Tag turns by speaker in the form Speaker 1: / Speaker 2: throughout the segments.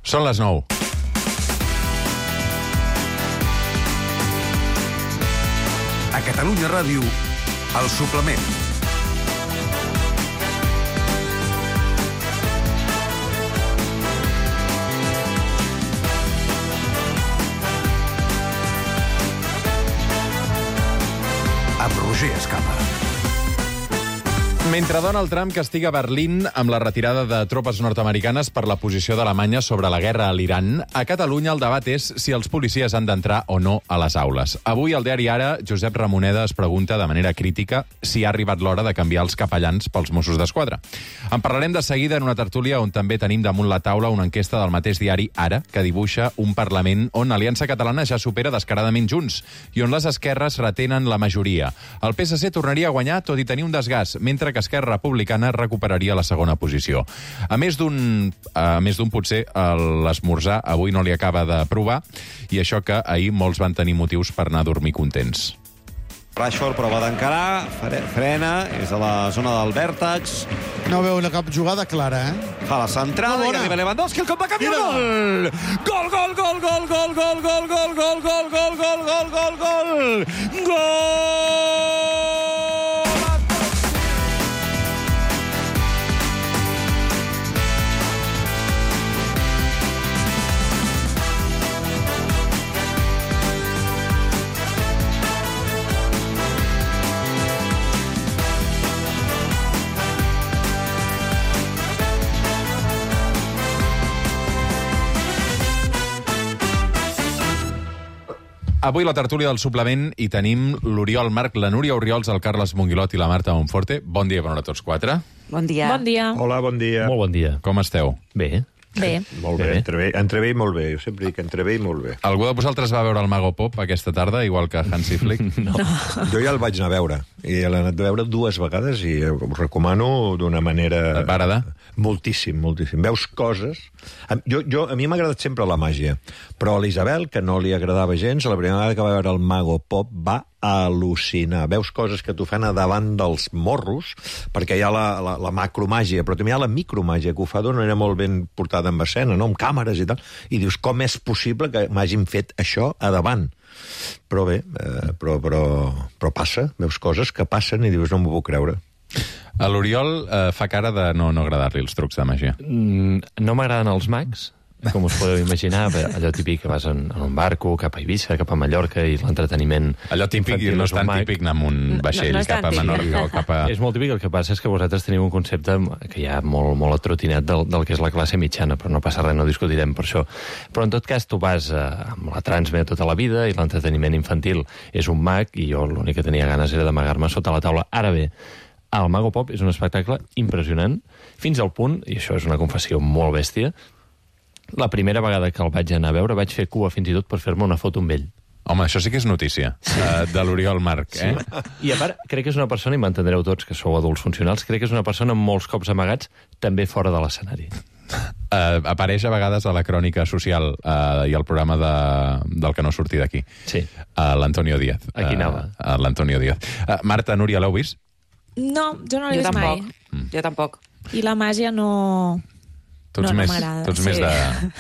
Speaker 1: Són les 9.
Speaker 2: A Catalunya Ràdio, El Suplement. Amb Roger Escapa.
Speaker 1: Mentre Donald Trump castiga Berlín amb la retirada de tropes nord-americanes per la posició d'Alemanya sobre la guerra a l'Iran, a Catalunya el debat és si els policies han d'entrar o no a les aules. Avui, al diari Ara, Josep Ramoneda es pregunta de manera crítica si ha arribat l'hora de canviar els capellans pels Mossos d'Esquadra. En parlarem de seguida en una tertúlia on també tenim damunt la taula una enquesta del mateix diari Ara que dibuixa un Parlament on l'Aliança Catalana ja supera descaradament Junts i on les esquerres retenen la majoria. El PSC tornaria a guanyar tot i tenir un desgast, mentre que Esquerra Republicana recuperaria la segona posició. A més d'un potser l'esmorzar avui no li acaba de provar, i això que ahir molts van tenir motius per anar a dormir contents.
Speaker 3: Rashford prova d'encarar, frena, és a la zona del vèrtex.
Speaker 4: No veu cap jugada clara,
Speaker 3: Fa la centrada i arriba Lewandowski, el cop va canviar gol! Gol, gol, gol, gol, gol, gol, gol, gol, gol, gol, gol, gol, gol, gol, gol! Gol!
Speaker 1: Avui la tertúlia del suplement hi tenim l'Oriol Marc, la Núria Oriols, el Carles Monguilot i la Marta Monforte. Bon dia, bona hora a tots quatre.
Speaker 5: Bon dia.
Speaker 6: Bon dia.
Speaker 7: Hola, bon dia.
Speaker 8: Molt bon dia.
Speaker 1: Com esteu?
Speaker 8: Bé.
Speaker 6: Bé.
Speaker 7: Molt bé, entre bé i molt bé. Jo sempre dic entre bé i molt bé.
Speaker 1: Algú de vosaltres va veure el Mago Pop aquesta tarda, igual que Hansi Flick?
Speaker 8: No.
Speaker 7: Jo ja el vaig anar a veure. I l'he anat a veure 2 vegades i ho recomano d'una manera...
Speaker 1: Et va agradar?
Speaker 7: Moltíssim, moltíssim. Veus coses... A mi m'ha agradat sempre la màgia, però a l'Isabel, que no li agradava gens, la primera vegada que va veure el Mago Pop va al·lucinar. Veus coses que t'ho fan a davant dels morros, perquè hi ha la macromàgia, però també hi ha la micromàgia, que ho fa d'una manera molt ben portada en escena, no? Amb càmeres i tal. I dius, com és possible que m'hagin fet això a davant? Però bé, però passa, veus coses que passen i dius, no m'ho puc creure.
Speaker 1: A l'Oriol fa cara de no agradar-li els trucs de màgia.
Speaker 8: No m'agraden els mags, com us podeu imaginar, allò típic que vas en un barco, cap a Eivissa, cap a Mallorca, i l'entreteniment...
Speaker 1: Allò típic no és tan típic anar amb un vaixell cap a Menorca o cap a...
Speaker 8: És molt típic, el que passa és que vosaltres teniu un concepte que hi ha molt atrotinat del que és la classe mitjana, però no passa res, no discutirem per això. Però en tot cas tu vas amb la Transmet tota la vida i l'entreteniment infantil és un mag, i jo l'únic que tenia ganes era d'amagar-me sota la taula. Ara bé, el Mago Pop és un espectacle impressionant, fins al punt, i això és una confessió molt bèstia, la primera vegada que el vaig anar a veure vaig fer cua fins i tot per fer-me una foto amb ell.
Speaker 1: Home, això sí que és notícia, de l'Oriol Marc, eh?
Speaker 8: I a part, crec que és una persona, i m'entendreu tots que sou adults funcionals, crec que és una persona amb molts cops amagats, també fora de l'escenari.
Speaker 1: Apareix a vegades a la crònica social i al programa del que no surti d'aquí.
Speaker 8: Sí.
Speaker 1: L'Antonio Díaz.
Speaker 8: Aquí anava.
Speaker 1: L'Antonio Díaz. Marta, Núria, l'heu vist?
Speaker 6: No, jo no l'he vist mai.
Speaker 5: Jo tampoc.
Speaker 6: I la màgia no...
Speaker 1: Tu ets més de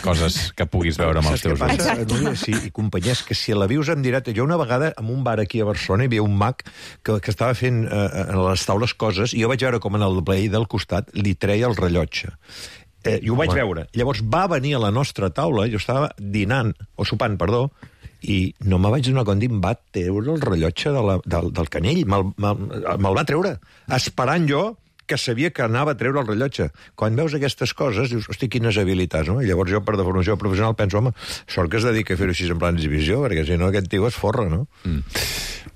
Speaker 1: coses que puguis veure amb els teus ulls.
Speaker 7: Núria, sí, i companyies, que si la vius en directe... Jo una vegada, en un bar aquí a Barcelona, hi havia un mag que estava fent a les taules coses, i jo vaig veure com en el veí del costat li treia el rellotge. I ho vaig veure. Llavors va venir a la nostra taula, jo estava dinant, o sopant, perdó, i no me vaig donar compte, em va treure el rellotge del canell. Me'l va treure, esperant jo que sabia que anava a treure el rellotge. Quan veus aquestes coses, dius, hosti, quines habilitats, no? I llavors jo, per deformació professional, penso, home, sort que es dedica a fer-ho així en plan d'exhibició, perquè si no aquest tio es forra, no?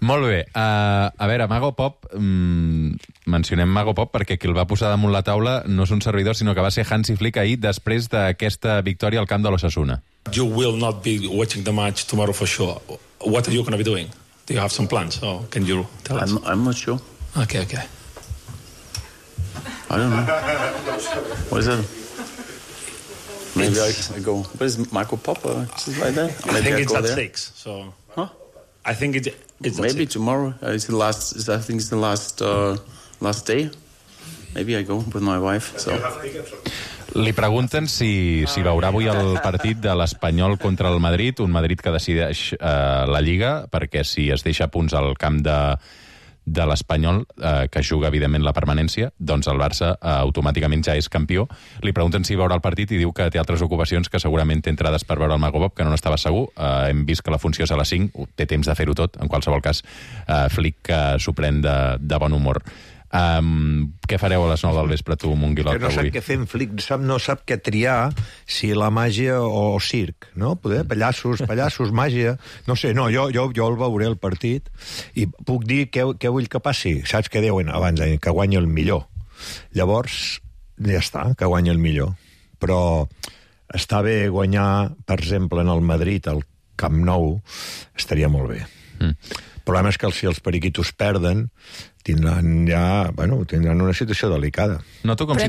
Speaker 1: Molt bé. A veure, Mago Pop, mencionem Mago Pop perquè qui el va posar damunt la taula no és un servidor, sinó que va ser Hansi Flick ahir després d'aquesta victòria al camp de l'Osasuna.
Speaker 9: You will not be watching the match tomorrow for sure. What are you going to be doing? Do you have some plans? Or can you tell us?
Speaker 10: I'm not sure.
Speaker 9: Okay.
Speaker 10: I don't know. What is it? Maybe I go. Where's Marco Pop? Is like that?
Speaker 9: I think it's at 6. So.
Speaker 10: Huh?
Speaker 9: I think it's
Speaker 10: maybe tomorrow. It's the last. I think it's the last day. Maybe I go with my wife. So.
Speaker 1: Li pregunten si veurà avui el partit de l'Espanyol contra el Madrid, un Madrid que decideix la Lliga, perquè si es deixa punts al camp de l'Espanyol, que juga, evidentment, la permanència, doncs el Barça automàticament ja és campió. Li pregunten si veurà el partit i diu que té altres ocupacions, que segurament té entrades per veure el Mago Bob, que no n'estava segur. Hem vist que la funció és a les 5, té temps de fer-ho tot. En qualsevol cas, Flick s'ho pren de bon humor. Què fareu a les 9 del vespre, tu, Monguilot,
Speaker 7: no sap
Speaker 1: avui?
Speaker 7: què fer en Flick, no sap què triar, si la màgia o circ, no? Poder, pallassos, màgia... No sé, no, jo el veuré el partit i puc dir què vull que passi. Saps què deuen abans? Que guanyi el millor. Llavors, ja està, que guanyi el millor. Però està bé guanyar, per exemple, en el Madrid, al Camp Nou, estaria molt bé. El problema és que si els periquitos perden, tindran una situació delicada.
Speaker 1: Noto com si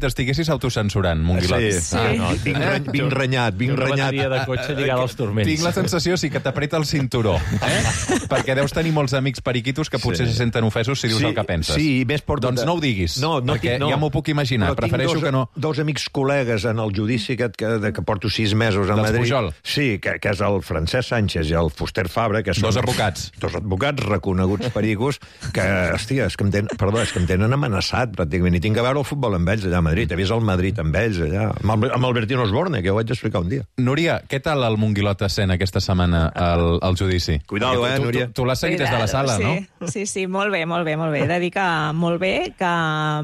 Speaker 1: t'estiguessis autocensurant, Monguilot.
Speaker 7: Sí. Vinc renyat.
Speaker 8: Una bateria de cotxe lligada als turments.
Speaker 1: Tinc la sensació que t'apreta el cinturó, perquè deus tenir molts amics periquitos que potser se senten ofesos si dius el que penses.
Speaker 7: Sí, més
Speaker 1: Doncs no ho diguis, perquè ja m'ho puc imaginar. Prefereixo que no...
Speaker 7: Dos amics col·legues en el judici que porto 6 mesos a Madrid.
Speaker 1: Pujol.
Speaker 7: Sí, que és el Francesc Sánchez i el Fuster Fabra, que són...
Speaker 1: Dos advocats
Speaker 7: reconeguts pericos, que, hòstia, és que em tenen amenaçat, pràcticament, i tinc que veure el futbol amb ells allà a Madrid. He vist el Madrid amb ells allà, amb Albertino Osborne, que ho vaig explicar un dia.
Speaker 1: Núria, què tal el Monguilot escent aquesta setmana al judici?
Speaker 7: Cuidado, Núria.
Speaker 1: Tu l'has seguit des de la sala, no?
Speaker 6: Sí, molt bé. He de dir que molt bé, que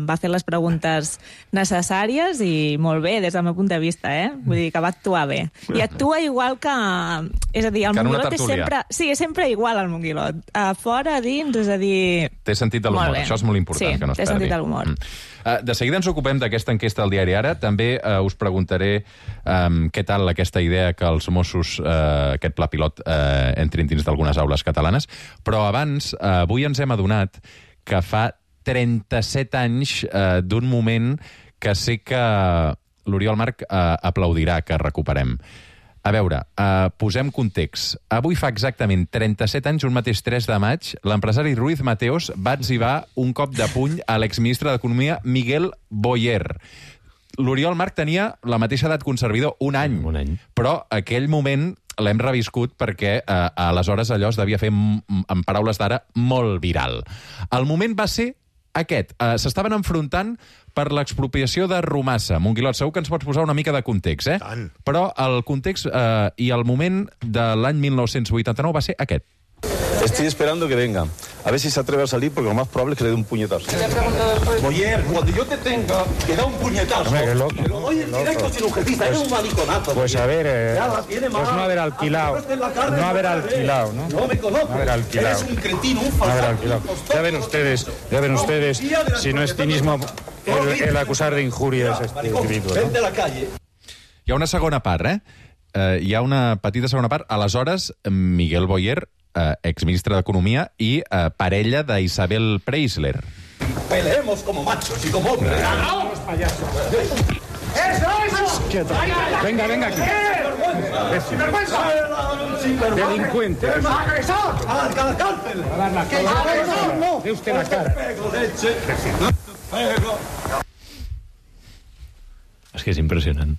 Speaker 6: va fer les preguntes necessàries i molt bé, des del meu punt de vista, Vull dir que va actuar bé. I actua igual que... És a dir, el Monguilot és sempre... Sí, és sempre igual, el Monguilot. A fora, a dins, és a dir...
Speaker 1: Té sentit de l'humor, això és molt important, que no es perdi.
Speaker 6: Sí, té sentit de l'humor.
Speaker 1: De seguida ens ocupem d'aquesta enquesta al diari Ara. També us preguntaré què tal aquesta idea que els Mossos, aquest pla pilot, entrin dins d'algunes aules catalanes. Però abans, avui ens hem adonat que fa 37 anys d'un moment que sé que l'Oriol Marc aplaudirà que recuperem. A veure, posem context. Avui fa exactament 37 anys, un mateix 3 de maig, l'empresari Ruiz Mateos va etzibar un cop de puny a l'exministre d'Economia Miguel Boyer. L'Oriol Marc tenia la mateixa edat que un servidor, un any. Però aquell moment l'hem reviscut perquè aleshores allò es devia fer, en paraules d'ara, molt viral. El moment va ser aquest. S'estaven enfrontant per l'expropiació de Rumassa. Monguilot, segur que ens pots posar una mica de context,
Speaker 7: Tant.
Speaker 1: Però el context i el moment de l'any 1989 va ser aquest.
Speaker 10: Estoy esperando que venga. A ver si se atreve a salir, porque lo más probable es que le dé un puñetazo. Boyer, cuando yo te tenga, que da un puñetazo.
Speaker 5: Hombre, qué loco.
Speaker 10: Pero oye, directo sin ujetista, eres un maniconazo.
Speaker 5: Pues a ver, pues no haber alquilado. No haber alquilado, ¿no?
Speaker 10: No me conozco.
Speaker 5: No haber alquilado.
Speaker 10: Eres un cretino, un
Speaker 5: No haber
Speaker 10: falsado.
Speaker 5: alquilado. Ya ven ustedes, si no es cinismo el acusar de injurias a este individuo,
Speaker 10: Vente a
Speaker 5: ¿no?
Speaker 10: la calle.
Speaker 1: Hi ha una segona part, hi ha una petita segona part. Aleshores, Miguel Boyer, exministre d'Economia i parella d'Isabel Preisler.
Speaker 10: Peleemos como machos y como hombres.
Speaker 5: ¡Los payasos! ¡Quieto! Venga aquí. Delincuente.
Speaker 10: ¡A la cárcel!
Speaker 5: A dar la cara. No. De usted la cara.
Speaker 8: És que és impressionant.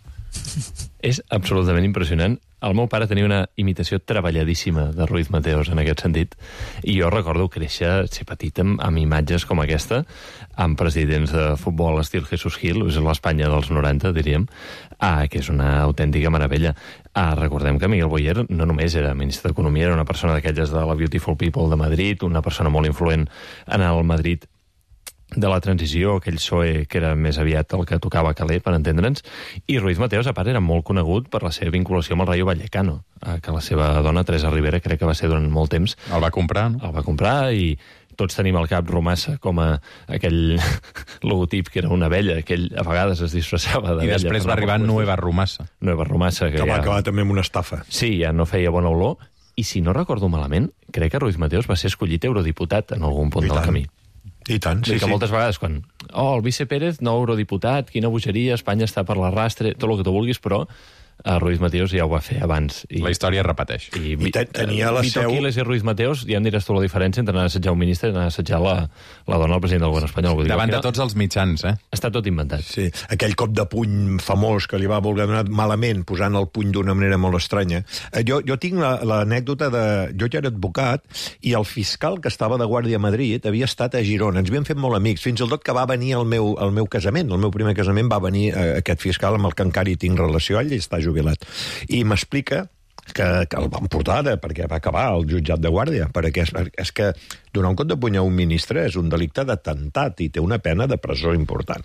Speaker 8: És absolutament impressionant. El meu pare tenia una imitació treballadíssima de Ruiz Mateos en aquest sentit, i jo recordo créixer, ser petit, amb imatges com aquesta, amb presidents de futbol estil Jesús Gil, és l'Espanya dels 90, diríem, que és una autèntica meravella. Recordem que Miguel Boyer no només era ministre d'Economia, era una persona d'aquelles de la Beautiful People de Madrid, una persona molt influent en el Madrid de la transició, aquell PSOE que era més aviat el que tocava caler, per entendre'ns, i Ruiz Mateos, a part, era molt conegut per la seva vinculació amb el Rayo Vallecano, que la seva dona, Teresa Rivera, crec que va ser durant molt temps.
Speaker 1: El va comprar, no?
Speaker 8: El va comprar, i tots tenim al cap Rumassa com a aquell logotip que era una abella, que ell a vegades es disfressava d'abella.
Speaker 1: I després va arribar Nueva Rumassa.
Speaker 8: Nueva Rumassa,
Speaker 7: que va acabar també amb una estafa.
Speaker 8: Sí, ja no feia bona olor, i si no recordo malament, crec que Ruiz Mateos va ser escollit eurodiputat en algun punt del camí.
Speaker 7: I tant, sí,
Speaker 8: que moltes vegades quan... el Vice Pérez, nou eurodiputat, quina bogeria, Espanya està per l'arrastre, tot el que tu vulguis, però Ruiz Mateos ja ho va fer abans.
Speaker 1: La història es repeteix.
Speaker 7: I tenia la seu...
Speaker 8: Vito Quiles i Ruiz Mateos, ja em diràs tu la diferència entre anar a assetjar un ministre i anar a assetjar la dona del president del govern espanyol. Vull dir,
Speaker 1: davant de tots els mitjans,
Speaker 8: Està tot inventat.
Speaker 7: Sí, aquell cop de puny famós que li va voler donar malament, posant el puny d'una manera molt estranya. Jo tinc l'anècdota de... Jo ja era advocat i el fiscal que estava de guàrdia a Madrid havia estat a Girona. Ens havíem fet molt amics, fins i tot que va venir al meu casament. El meu primer casament va venir aquest fiscal amb el que encara hi tinc relació, ell està jubilat. I m'explica que el van portar perquè va acabar al jutjat de guàrdia, perquè és que donar un cop de puny a un ministre és un delicte d'atemptat i té una pena de presó important.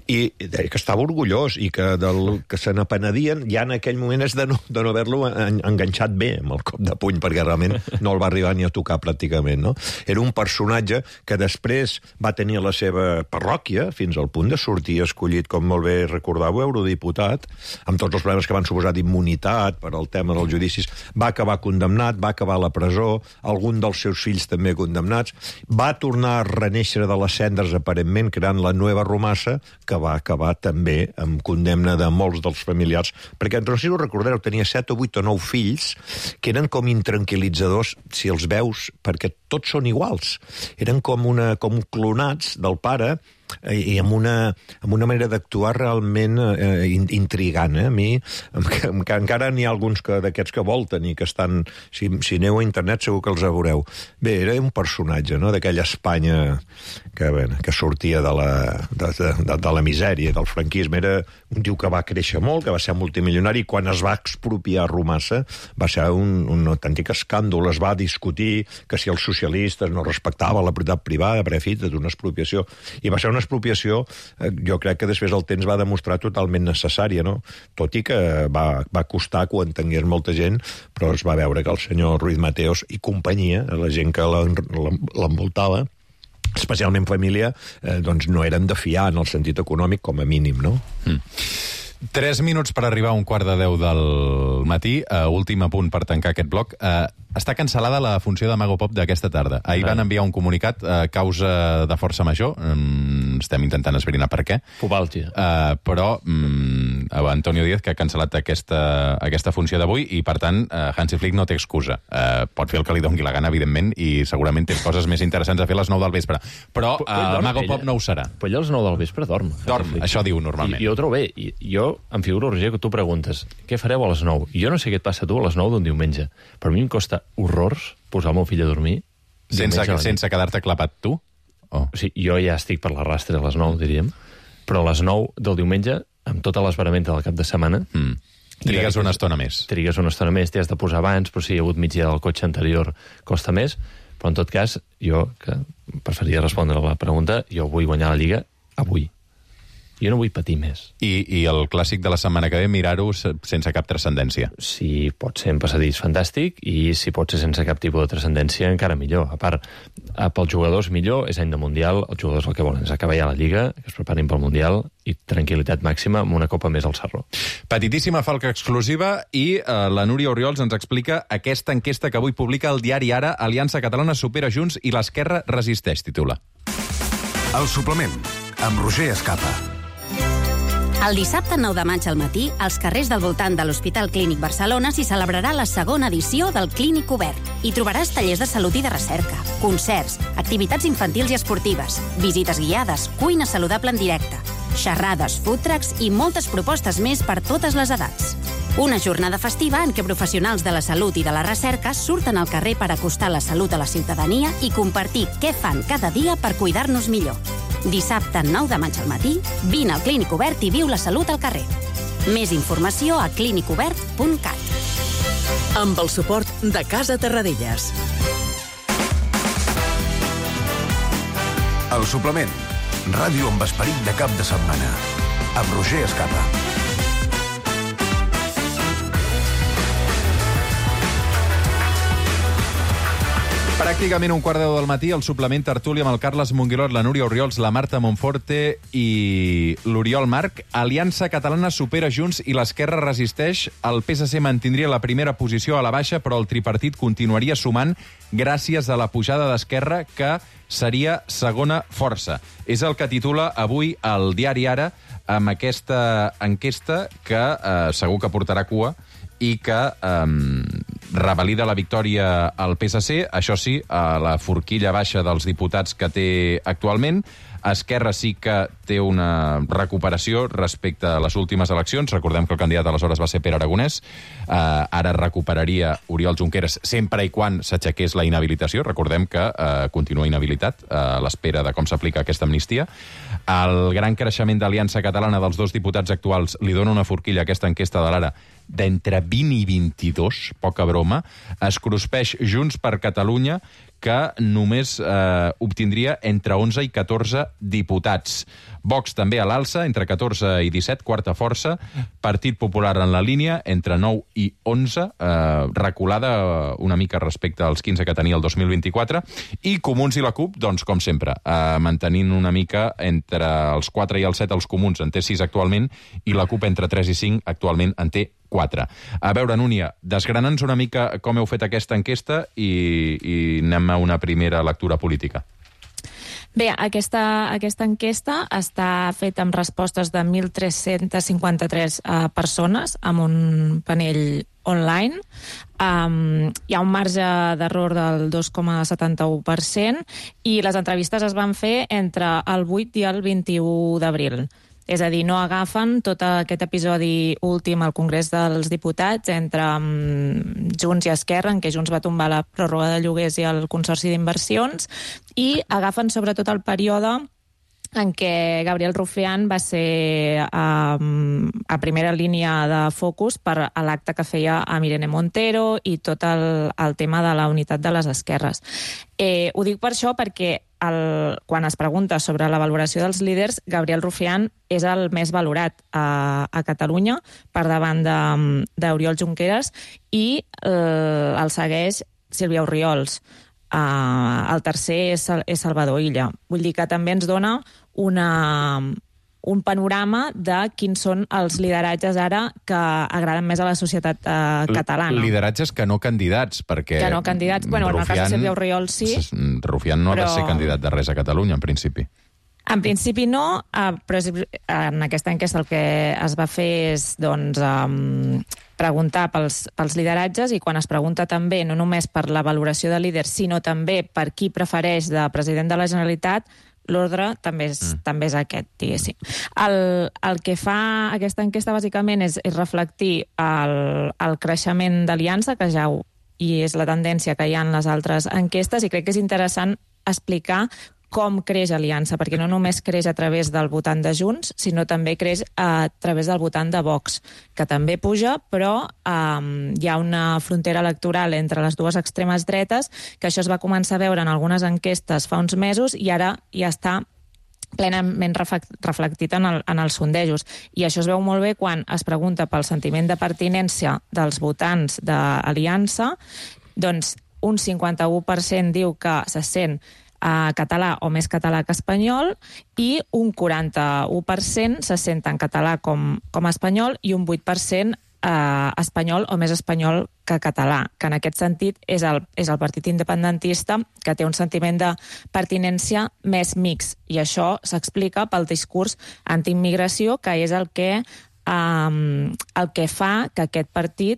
Speaker 7: I deia que estava orgullós i que del que se n'apenedien ja en aquell moment és de no haver-lo enganxat bé amb el cop de puny, perquè realment no el va arribar ni a tocar pràcticament, no? Era un personatge que després va tenir la seva parròquia fins al punt de sortir escollit, com molt bé recordàveu, eurodiputat, amb tots els problemes que van suposar d'immunitat per al tema dels judicis. Va acabar condemnat, va acabar a la presó, algun dels seus fills també condemnats. Va tornar a renéixer de les cendres, aparentment, creant la Nueva Romassa, que va acabar també amb condemna de molts dels familiars, perquè, no sé si ho recordareu, tenia 7 o 8 o 9 fills que eren com intranquil·litzadors, si els veus, perquè tots són iguals. Eren com clonats del pare, i amb una manera d'actuar realment intrigant. A mi, que encara n'hi ha alguns d'aquests que volten i que estan... Si aneu a internet segur que els veureu. Bé, era un personatge, no?, d'aquella Espanya que sortia de la misèria, del franquisme. Era un tio que va créixer molt, que va ser multimilionari, i quan es va expropiar Romassa va ser un autèntic escàndol. Es va discutir que si els socialistes no respectaven la propietat privada, per fi, d'una expropiació. I va ser una expropiació, jo crec que després el temps va demostrar totalment necessària, no? Tot i que va costar que ho entengués molta gent, però es va veure que el senyor Ruiz Mateos i companyia, la gent que l'envoltava, especialment família, doncs no eren de fiar en el sentit econòmic, com a mínim, no?
Speaker 1: 3 minuts per arribar a 1:15 del matí. Últim apunt per tancar aquest bloc. Està cancel·lada la funció de Mago Pop d'aquesta tarda. Ahir van enviar un comunicat a causa de força major. Estem intentant esbrinar per què.
Speaker 8: Fubàlgia.
Speaker 1: Però Antonio Díaz, que ha cancel·lat aquesta funció d'avui, i per tant Hansi Flick no té excusa. Pot fer el que li doni la gana, evidentment, i segurament té coses més interessants a fer a les 9 del vespre. Però Mago Pop no ho serà.
Speaker 8: Però ell a les 9 del vespre dorm.
Speaker 1: Dorm, això diu normalment.
Speaker 8: I jo ho trobo bé. Jo em figuro, Roger, que tu preguntes què fareu a les 9? I jo no sé què et passa a tu a les 9 d'un diumenge. Per mi em costa horrors posar el meu fill a dormir.
Speaker 1: Sense quedar-te clapat tu?
Speaker 8: O sigui, jo ja estic per la rastre a les 9, diríem, però a les 9 del diumenge, amb tota l'esperamenta del cap de setmana...
Speaker 1: Trigues una estona més.
Speaker 8: Trigues una estona més, t'hi has de posar abans, però si hi ha hagut migdia del cotxe anterior costa més, però en tot cas, jo, que preferiria respondre a la pregunta, jo vull guanyar la Lliga avui. Jo no vull patir més.
Speaker 1: I el clàssic de la setmana que ve, mirar-ho sense cap transcendència.
Speaker 8: Si pot ser en passadís, fantàstic, i si pot ser sense cap tipus de transcendència, encara millor. A part, pels jugadors millor, és any de Mundial, els jugadors el que volen és acabar ja la Lliga, que es preparin pel Mundial, i tranquil·litat màxima amb una copa més al Sarró.
Speaker 1: Petitíssima falca exclusiva, i la Núria Oriols ens explica aquesta enquesta que avui publica el diari Ara. Aliança Catalana supera Junts i l'Esquerra resisteix, titula.
Speaker 2: El suplement, amb Roger Escapa.
Speaker 11: El dissabte 9 de maig al matí, als carrers del voltant de l'Hospital Clínic Barcelona s'hi celebrarà la segona edició del Clínic Obert. Hi trobaràs tallers de salut i de recerca, concerts, activitats infantils i esportives, visites guiades, cuina saludable en directe, xerrades, food trucks i moltes propostes més per totes les edats. Una jornada festiva en què professionals de la salut i de la recerca surten al carrer per acostar la salut a la ciutadania i compartir què fan cada dia per cuidar-nos millor. Dissabte 9 de maig al matí, vine al Clínic Obert i viu la salut al carrer. Més informació a clinicobert.cat.
Speaker 12: Amb el suport de Casa Terradellas.
Speaker 2: El suplement, ràdio amb esperit de cap de setmana, amb Roger Escapa.
Speaker 1: Pràcticament 1:15 del matí, el suplement tertúlia amb el Carles Monguilot, la Núria Oriols, la Marta Monforte i l'Oriol Marc. Aliança Catalana supera Junts i l'Esquerra resisteix. El PSC mantindria la primera posició a la baixa, però el tripartit continuaria sumant gràcies a la pujada d'Esquerra, que seria segona força. És el que titula avui el diari Ara, amb aquesta enquesta que segur que portarà cua i que revalida la victòria al PSC, això sí, a la forquilla baixa dels diputats que té actualment. Esquerra sí que té una recuperació respecte a les últimes eleccions. Recordem que el candidat aleshores va ser Pere Aragonès. Ara recuperaria Oriol Junqueras sempre i quan s'aixequés la inhabilitació. Recordem que continua inhabilitat a l'espera de com s'aplica aquesta amnistia. El gran creixement d'Aliança Catalana dels dos diputats actuals li dona una forquilla a aquesta enquesta de l'Ara d'entre 20 i 22, poca broma. Es cruspeix Junts per Catalunya, que només obtindria entre 11 i 14 diputats. Vox també a l'alça, entre 14 i 17, quarta força. Partit Popular en la línia, entre 9 i 11, reculada una mica respecte als 15 que tenia el 2024. I Comuns i la CUP, doncs, com sempre, mantenint una mica entre els 4 i els 7 els Comuns, en té 6 actualment, i la CUP entre 3 i 5 actualment en té 4. A veure, Núria, desgrana'ns una mica com heu fet aquesta enquesta i anem a una primera lectura política.
Speaker 6: Bé, aquesta enquesta està feta amb respostes de 1.353 persones, amb un panell online. Hi ha un marge d'error del 2,71% i les entrevistes es van fer entre el 8 i el 21 d'abril. És a dir, no agafen tot aquest episodi últim al Congrés dels Diputats entre Junts i Esquerra, en què Junts va tombar la pròrroga de lloguers i el Consorci d'Inversions, i agafen sobretot el període en què Gabriel Rufián va ser a primera línia de focus per l'acte que feia amb Irene Montero i tot el tema de la unitat de les esquerres. Ho dic per això perquè quan es pregunta sobre la valoració dels líders, Gabriel Rufián és el més valorat a Catalunya per davant d'Oriol Junqueras i el segueix Sílvia Orriols. El tercer és Salvador Illa. Vull dir que també ens dona un panorama de quins són els lideratges ara que agraden més a la societat catalana.
Speaker 1: Lideratges que no candidats, perquè...
Speaker 6: Que no candidats. Bueno, en el cas de Sílvia Orriols sí.
Speaker 1: Rufián no ha de ser candidat de res a Catalunya, en principi.
Speaker 6: En principi no, però en aquesta enquesta el que es va fer és preguntar pels lideratges, i quan es pregunta també no només per la valoració de líders, sinó també per qui prefereix de president de la Generalitat, l'ordre també és aquest, diguéssim. El que fa aquesta enquesta bàsicament és reflectir el creixement d'Aliança, que ja és la tendència que hi ha en les altres enquestes, i crec que és interessant explicar com creix Aliança, perquè no només creix a través del votant de Junts, sinó també creix a través del votant de Vox, que també puja, però hi ha una frontera electoral entre les dues extremes dretes, que això es va començar a veure en algunes enquestes fa uns mesos i ara ja està plenament reflectit en els sondejos. I això es veu molt bé quan es pregunta pel sentiment de pertinència dels votants d'Aliança. Doncs un 51% diu que se sent català o més català que espanyol, i un 41% se sent tant català com espanyol, i un 8% espanyol o més espanyol que català, que en aquest sentit és el partit independentista, que té un sentiment de pertinència més mixt, i això s'explica pel discurs antiimmigració, que és el que fa que aquest partit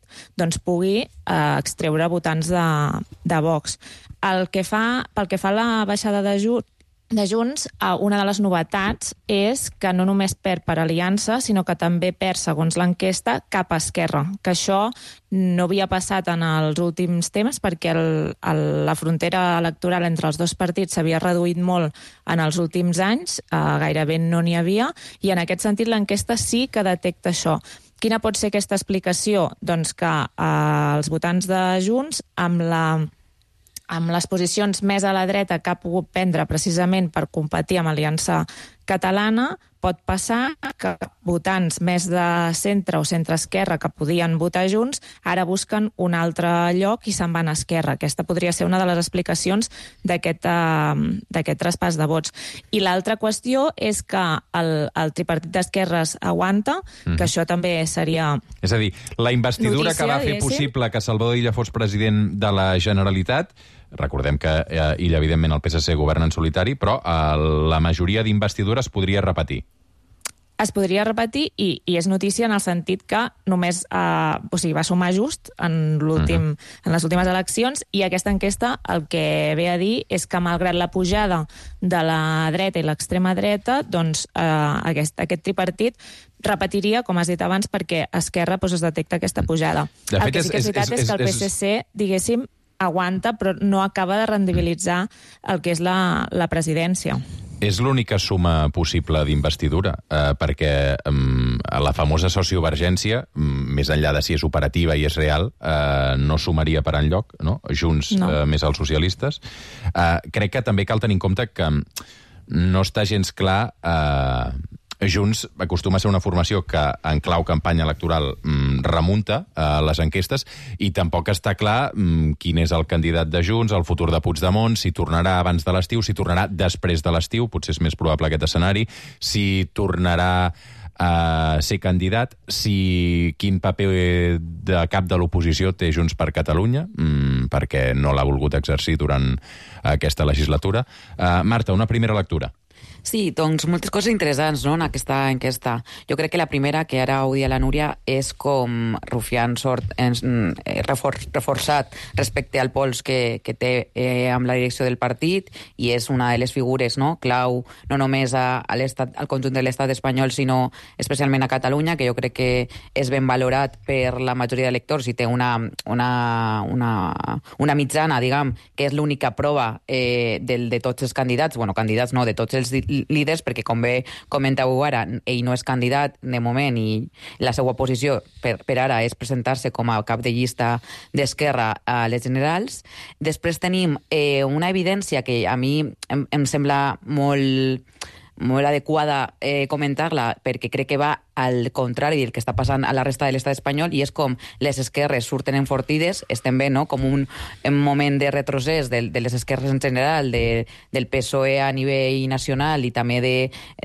Speaker 6: pugui extreure votants de Vox. Pel que fa a la baixada de Junts, una de les novetats és que no només perd per Aliança, sinó que també perd, segons l'enquesta, cap a Esquerra, que això no havia passat en els últims temps, perquè la frontera electoral entre els dos partits s'havia reduït molt en els últims anys, gairebé no n'hi havia, i en aquest sentit l'enquesta sí que detecta això. Quina pot ser aquesta explicació? Doncs que els votants de Junts, amb les posicions més a la dreta que ha pogut prendre precisament per competir amb Aliança Catalana, pot passar que votants més de centre o centre-esquerra que podien votar Junts ara busquen un altre lloc i se'n van a Esquerra. Aquesta podria ser una de les explicacions d'aquest traspàs de vots. I l'altra qüestió és que el tripartit d'esquerres aguanta, que això també seria...
Speaker 1: És a dir, la investidura que va fer possible que Salvador Illa fos president de la Generalitat, recordem que Illa, evidentment, el PSC governa en solitari, però la majoria d'investidures podria repetir.
Speaker 6: es podria repetir i és notícia en el sentit que només va sumar just en les últimes eleccions, i aquesta enquesta el que ve a dir és que malgrat la pujada de la dreta i l'extrema dreta, doncs aquest tripartit repetiria, com has dit abans, perquè Esquerra es detecta aquesta pujada. El que sí que és veritat és que el PSC, diguéssim, aguanta, però no acaba de rendibilitzar el que és la presidència.
Speaker 1: És l'única suma possible d'investidura, perquè la famosa sociovergència, més enllà de si és operativa i és real, no sumaria per enlloc, no? Junts més els socialistes. Crec que també cal tenir en compte que no està gens clar... Junts acostuma a ser una formació que en clau campanya electoral remunta les enquestes, i tampoc està clar quin és el candidat de Junts, el futur de Puigdemont, si tornarà abans de l'estiu, si tornarà després de l'estiu, potser és més probable aquest escenari, si tornarà a ser candidat, quin paper de cap de l'oposició té Junts per Catalunya, perquè no l'ha volgut exercir durant aquesta legislatura. Marta, una primera lectura.
Speaker 13: Sí, doncs moltes coses interessants, no?, en aquesta enquesta. Jo crec que la primera, que ara ho dia la Núria, és com Rufián sort reforçat respecte al pols que té amb la direcció del partit, i és una de les figures, no?, clau no només al conjunt de l'estat espanyol, sinó especialment a Catalunya, que jo crec que és ben valorat per la majoria d'electors i té una mitjana, diguem, que és l'única prova de tots els candidats, candidats no, de tots els líders, perquè com bé comenteu ara, ell no és candidat de moment i la seva posició per ara és presentar-se com a cap de llista d'Esquerra a les generals. Després tenim una evidència que a mi em sembla molt adequada comentar-la, perquè crec que va al contrari del que està passant a la resta de l'estat espanyol, i és com les esquerres surten enfortides, estem bé, no?, com un moment de retrocés de les esquerres en general, del PSOE a nivell nacional i també de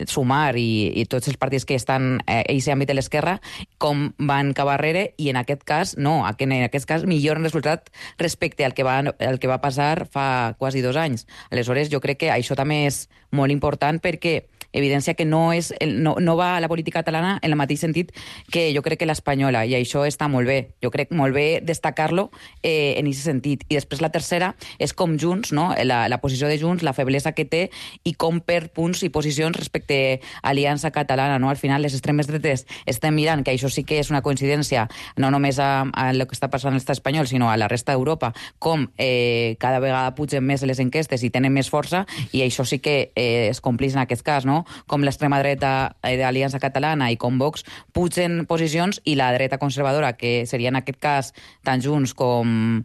Speaker 13: Sumar i tots els partits que estan a aquest àmbit de l'esquerra, com van cap arrere, i en aquest cas no, en aquest cas millor resultat respecte al que va passar fa quasi 2 anys. Aleshores, jo crec que això també és molt important, perquè evidència que no va a la política catalana en el mateix sentit que jo crec que l'espanyola, i això està molt bé. Jo crec molt bé destacar-lo en aquest sentit. I després la tercera és com Junts, no?, la posició de Junts, la feblesa que té i com perd punts i posicions respecte a Aliança Catalana, no? Al final, les extremes dretes estem mirant que això sí que és una coincidència, no només a el que està passant a l'estat espanyol, sinó a la resta d'Europa, com cada vegada pugen més les enquestes i tenen més força, i això sí que es compleix en aquest cas, no? Com l'extrema dreta d'Aliança Catalana i com Vox pugen posicions, i la dreta conservadora, que seria en aquest cas tant Junts com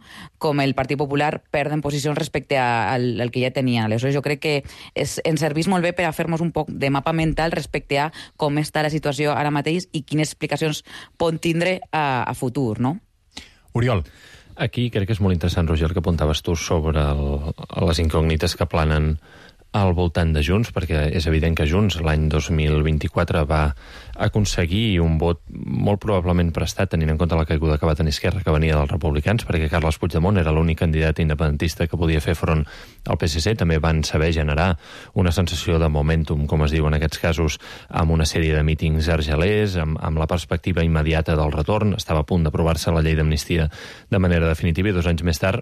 Speaker 13: el Partit Popular, perden posicions respecte al que ja tenien. Aleshores, jo crec que ens serveix molt bé per a fer-nos un poc de mapa mental respecte a com està la situació ara mateix i quines explicacions pot tindre a futur, no?
Speaker 1: Oriol.
Speaker 8: Aquí crec que és molt interessant, Roger, el que apuntaves tu sobre les incògnites que planen al voltant de Junts, perquè és evident que Junts l'any 2024 va aconseguir un vot molt probablement prestat, tenint en compte la caiguda que va tenir Esquerra, que venia dels republicans, perquè Carles Puigdemont era l'únic candidat independentista que podia fer front al PSC. També van saber generar una sensació de momentum, com es diu en aquests casos, amb una sèrie de mítings argelers, amb la perspectiva immediata del retorn. Estava a punt d'aprovar-se la llei d'amnistia de manera definitiva, i 2 anys més tard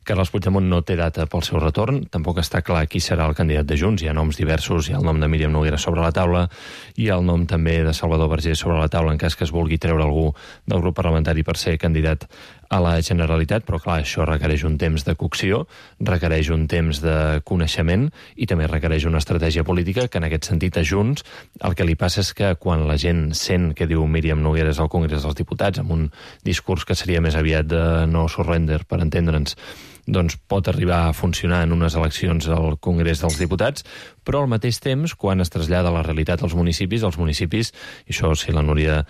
Speaker 8: Carles Puigdemont no té data pel seu retorn, tampoc està clar qui serà el candidat de Junts. Hi ha noms diversos, hi ha el nom de Míriam Noguera sobre la taula, hi ha el nom també de Salvador Vergés sobre la taula en cas que es vulgui treure algú del grup parlamentari per ser candidat a la Generalitat, però clar, això requereix un temps de cocció, requereix un temps de coneixement i també requereix una estratègia política que en aquest sentit a Junts el que li passa és que quan la gent sent que diu Míriam Nogueras al Congrés dels Diputats amb un discurs que seria més aviat de no surrender, per entendre'ns, doncs pot arribar a funcionar en unes eleccions al Congrés dels Diputats, però al mateix temps, quan es trasllada la realitat als municipis, i això si la Núria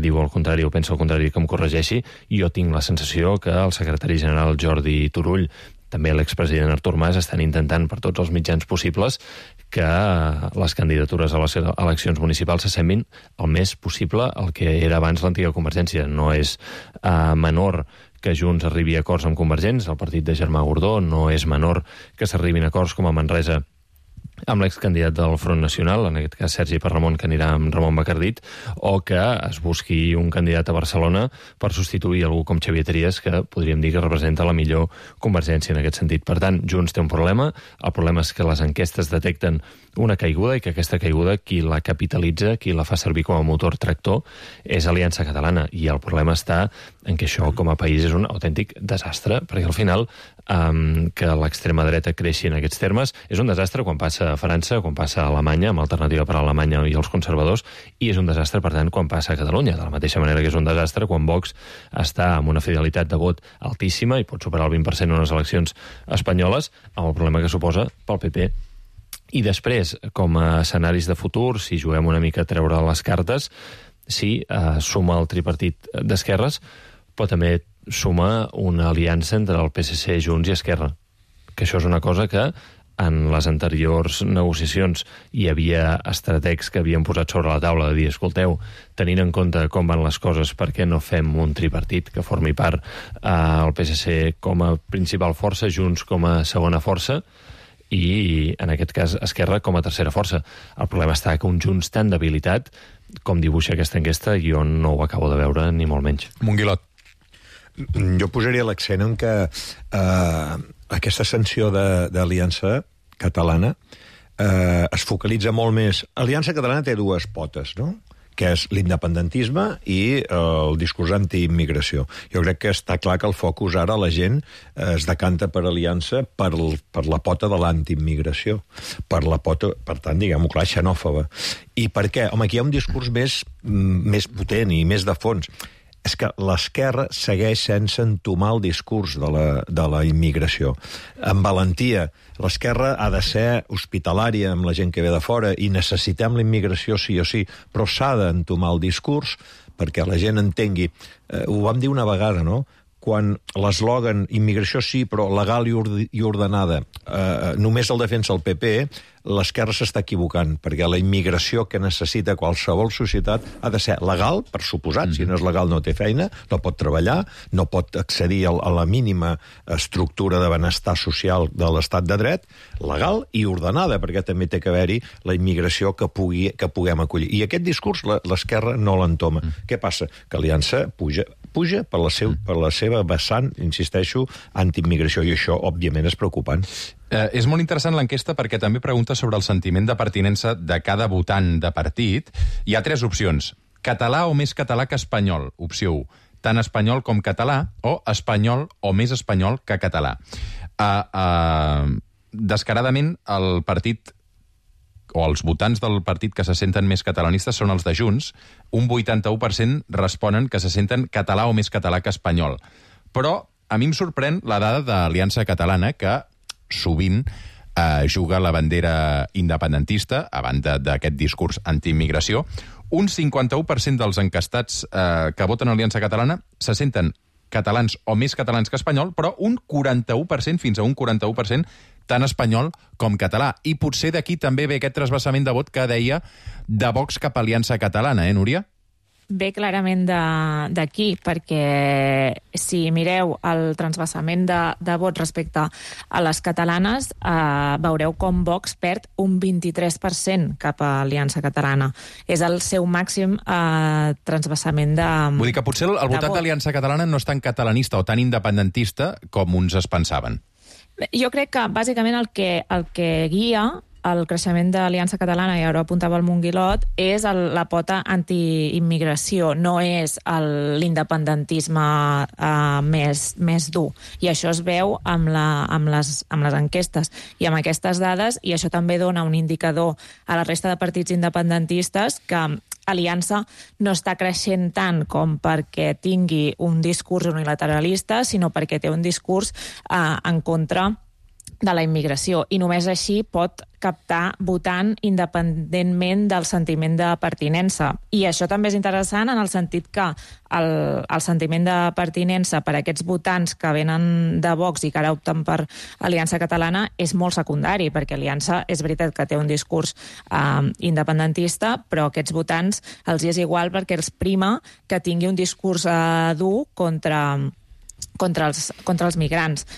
Speaker 8: diu el contrari o pensa el contrari que em corregeixi, jo tinc la sensació que el secretari general Jordi Turull, també l'expresident Artur Mas, estan intentant per tots els mitjans possibles que les candidatures a les eleccions municipals s'assemblin el més possible al que era abans l'antiga Convergència. No és menor que Junts arribi a acords amb Convergents, el partit de Germà Gordó, no és menor que s'arribin a acords com a Manresa amb l'excandidat del Front Nacional, en aquest cas Sergi Parramon, que anirà amb Ramon Bacardit, o que es busqui un candidat a Barcelona per substituir algú com Xavier Trias, que podríem dir que representa la millor Convergència en aquest sentit. Per tant, Junts té un problema. El problema és que les enquestes detecten una caiguda i que aquesta caiguda qui la capitalitza, qui la fa servir com a motor tractor, és Aliança Catalana. I el problema està en que això, com a país, és un autèntic desastre, perquè al final que l'extrema dreta creixi en aquests termes és un desastre quan passa a França, quan passa a Alemanya, amb Alternativa per a Alemanya i els conservadors, i és un desastre, per tant, quan passa a Catalunya. De la mateixa manera que és un desastre quan Vox està amb una fidelitat de vot altíssima i pot superar el 20% en unes eleccions espanyoles, amb el problema que suposa pel PP. I després, com a escenaris de futur, si juguem una mica a treure les cartes, sí, suma el tripartit d'esquerres, però també suma una aliança entre el PSC, Junts i Esquerra, que això és una cosa que en les anteriors negociacions hi havia estrategs que havien posat sobre la taula de dir, escolteu, tenint en compte com van les coses, per què no fem un tripartit que formi part el PSC com a principal força, Junts com a segona força, i en aquest cas Esquerra com a tercera força. El problema està que un Junts tan debilitat com dibuixa aquesta enquesta jo no ho acabo de veure ni molt menys.
Speaker 1: Monguilot.
Speaker 7: Jo posaria l'accent en que aquesta ascensió d'Aliança Catalana es focalitza molt més. Aliança Catalana té dues potes, no?, que és l'independentisme i el discurs antiimmigració. Jo crec que està clar que el focus ara la gent es decanta per Aliança per la pota de l'antiimmigració, per la pota, per tant, diguem-ho clar, xenòfoba. I per què? Home, aquí hi ha un discurs més potent i més de fons. És que l'esquerra segueix sense entomar el discurs de la immigració. Amb valentia, l'esquerra ha de ser hospitalària amb la gent que ve de fora i necessitem la immigració sí o sí, però s'ha d'entomar el discurs perquè la gent entengui. Ho vam dir una vegada, no?, quan l'eslògan immigració sí, però legal i ordenada només el defensa el PP, l'esquerra s'està equivocant, perquè la immigració que necessita qualsevol societat ha de ser legal, per suposat, si no és legal no té feina, no pot treballar, no pot accedir a la mínima estructura de benestar social de l'estat de dret, legal i ordenada, perquè també té que haver-hi la immigració que puguem acollir. I aquest discurs l'esquerra no l'entoma. Què passa? Que Aliança puja per la seva vessant, insisteixo, antiimmigració, i això, òbviament, és preocupant.
Speaker 1: És molt interessant l'enquesta perquè també pregunta sobre el sentiment de pertinença de cada votant de partit. Hi ha 3 opcions. Català o més català que espanyol, opció 1. Tant espanyol com català, o espanyol o més espanyol que català. Descaradament, el partit o els votants del partit que se senten més catalanistes són els de Junts. Un 81% responen que se senten català o més català que espanyol. Però a mi em sorprèn la dada d'Aliança Catalana, que sovint juga la bandera independentista, a banda d'aquest discurs antiimmigració. Un 51% dels encastats que voten Aliança Catalana se senten catalans o més catalans que espanyol, però un 41%, fins a un 41%, tant espanyol com català. I potser d'aquí també ve aquest trasbassament de vot que deia de Vox cap a Aliança Catalana, Núria?
Speaker 6: Ve clarament d'aquí, perquè si mireu el transvasament de vot respecte a les catalanes, veureu com Vox perd un 23% cap a Aliança Catalana. És el seu màxim transvasament de
Speaker 1: Vull dir que potser el votat d'Aliança Catalana no és tan catalanista o tan independentista com uns es pensaven.
Speaker 6: Jo crec que, bàsicament, el que guia el creixement d'Aliança Catalana, i ara apuntava el Monguilot, és la pota antiimmigració, no és l'independentisme més dur. I això es veu amb les enquestes i amb aquestes dades, i això també dona un indicador a la resta de partits independentistes que Aliança no està creixent tant com perquè tingui un discurs unilateralista, sinó perquè té un discurs en contra de la immigració, i només així pot captar votant independentment del sentiment de pertinença. I això també és interessant en el sentit que el sentiment de pertinença per a aquests votants que venen de Vox i que ara opten per Aliança Catalana és molt secundari, perquè Aliança és veritat que té un discurs independentista, però a aquests votants els és igual perquè els prima que tingui un discurs dur contra els migrants.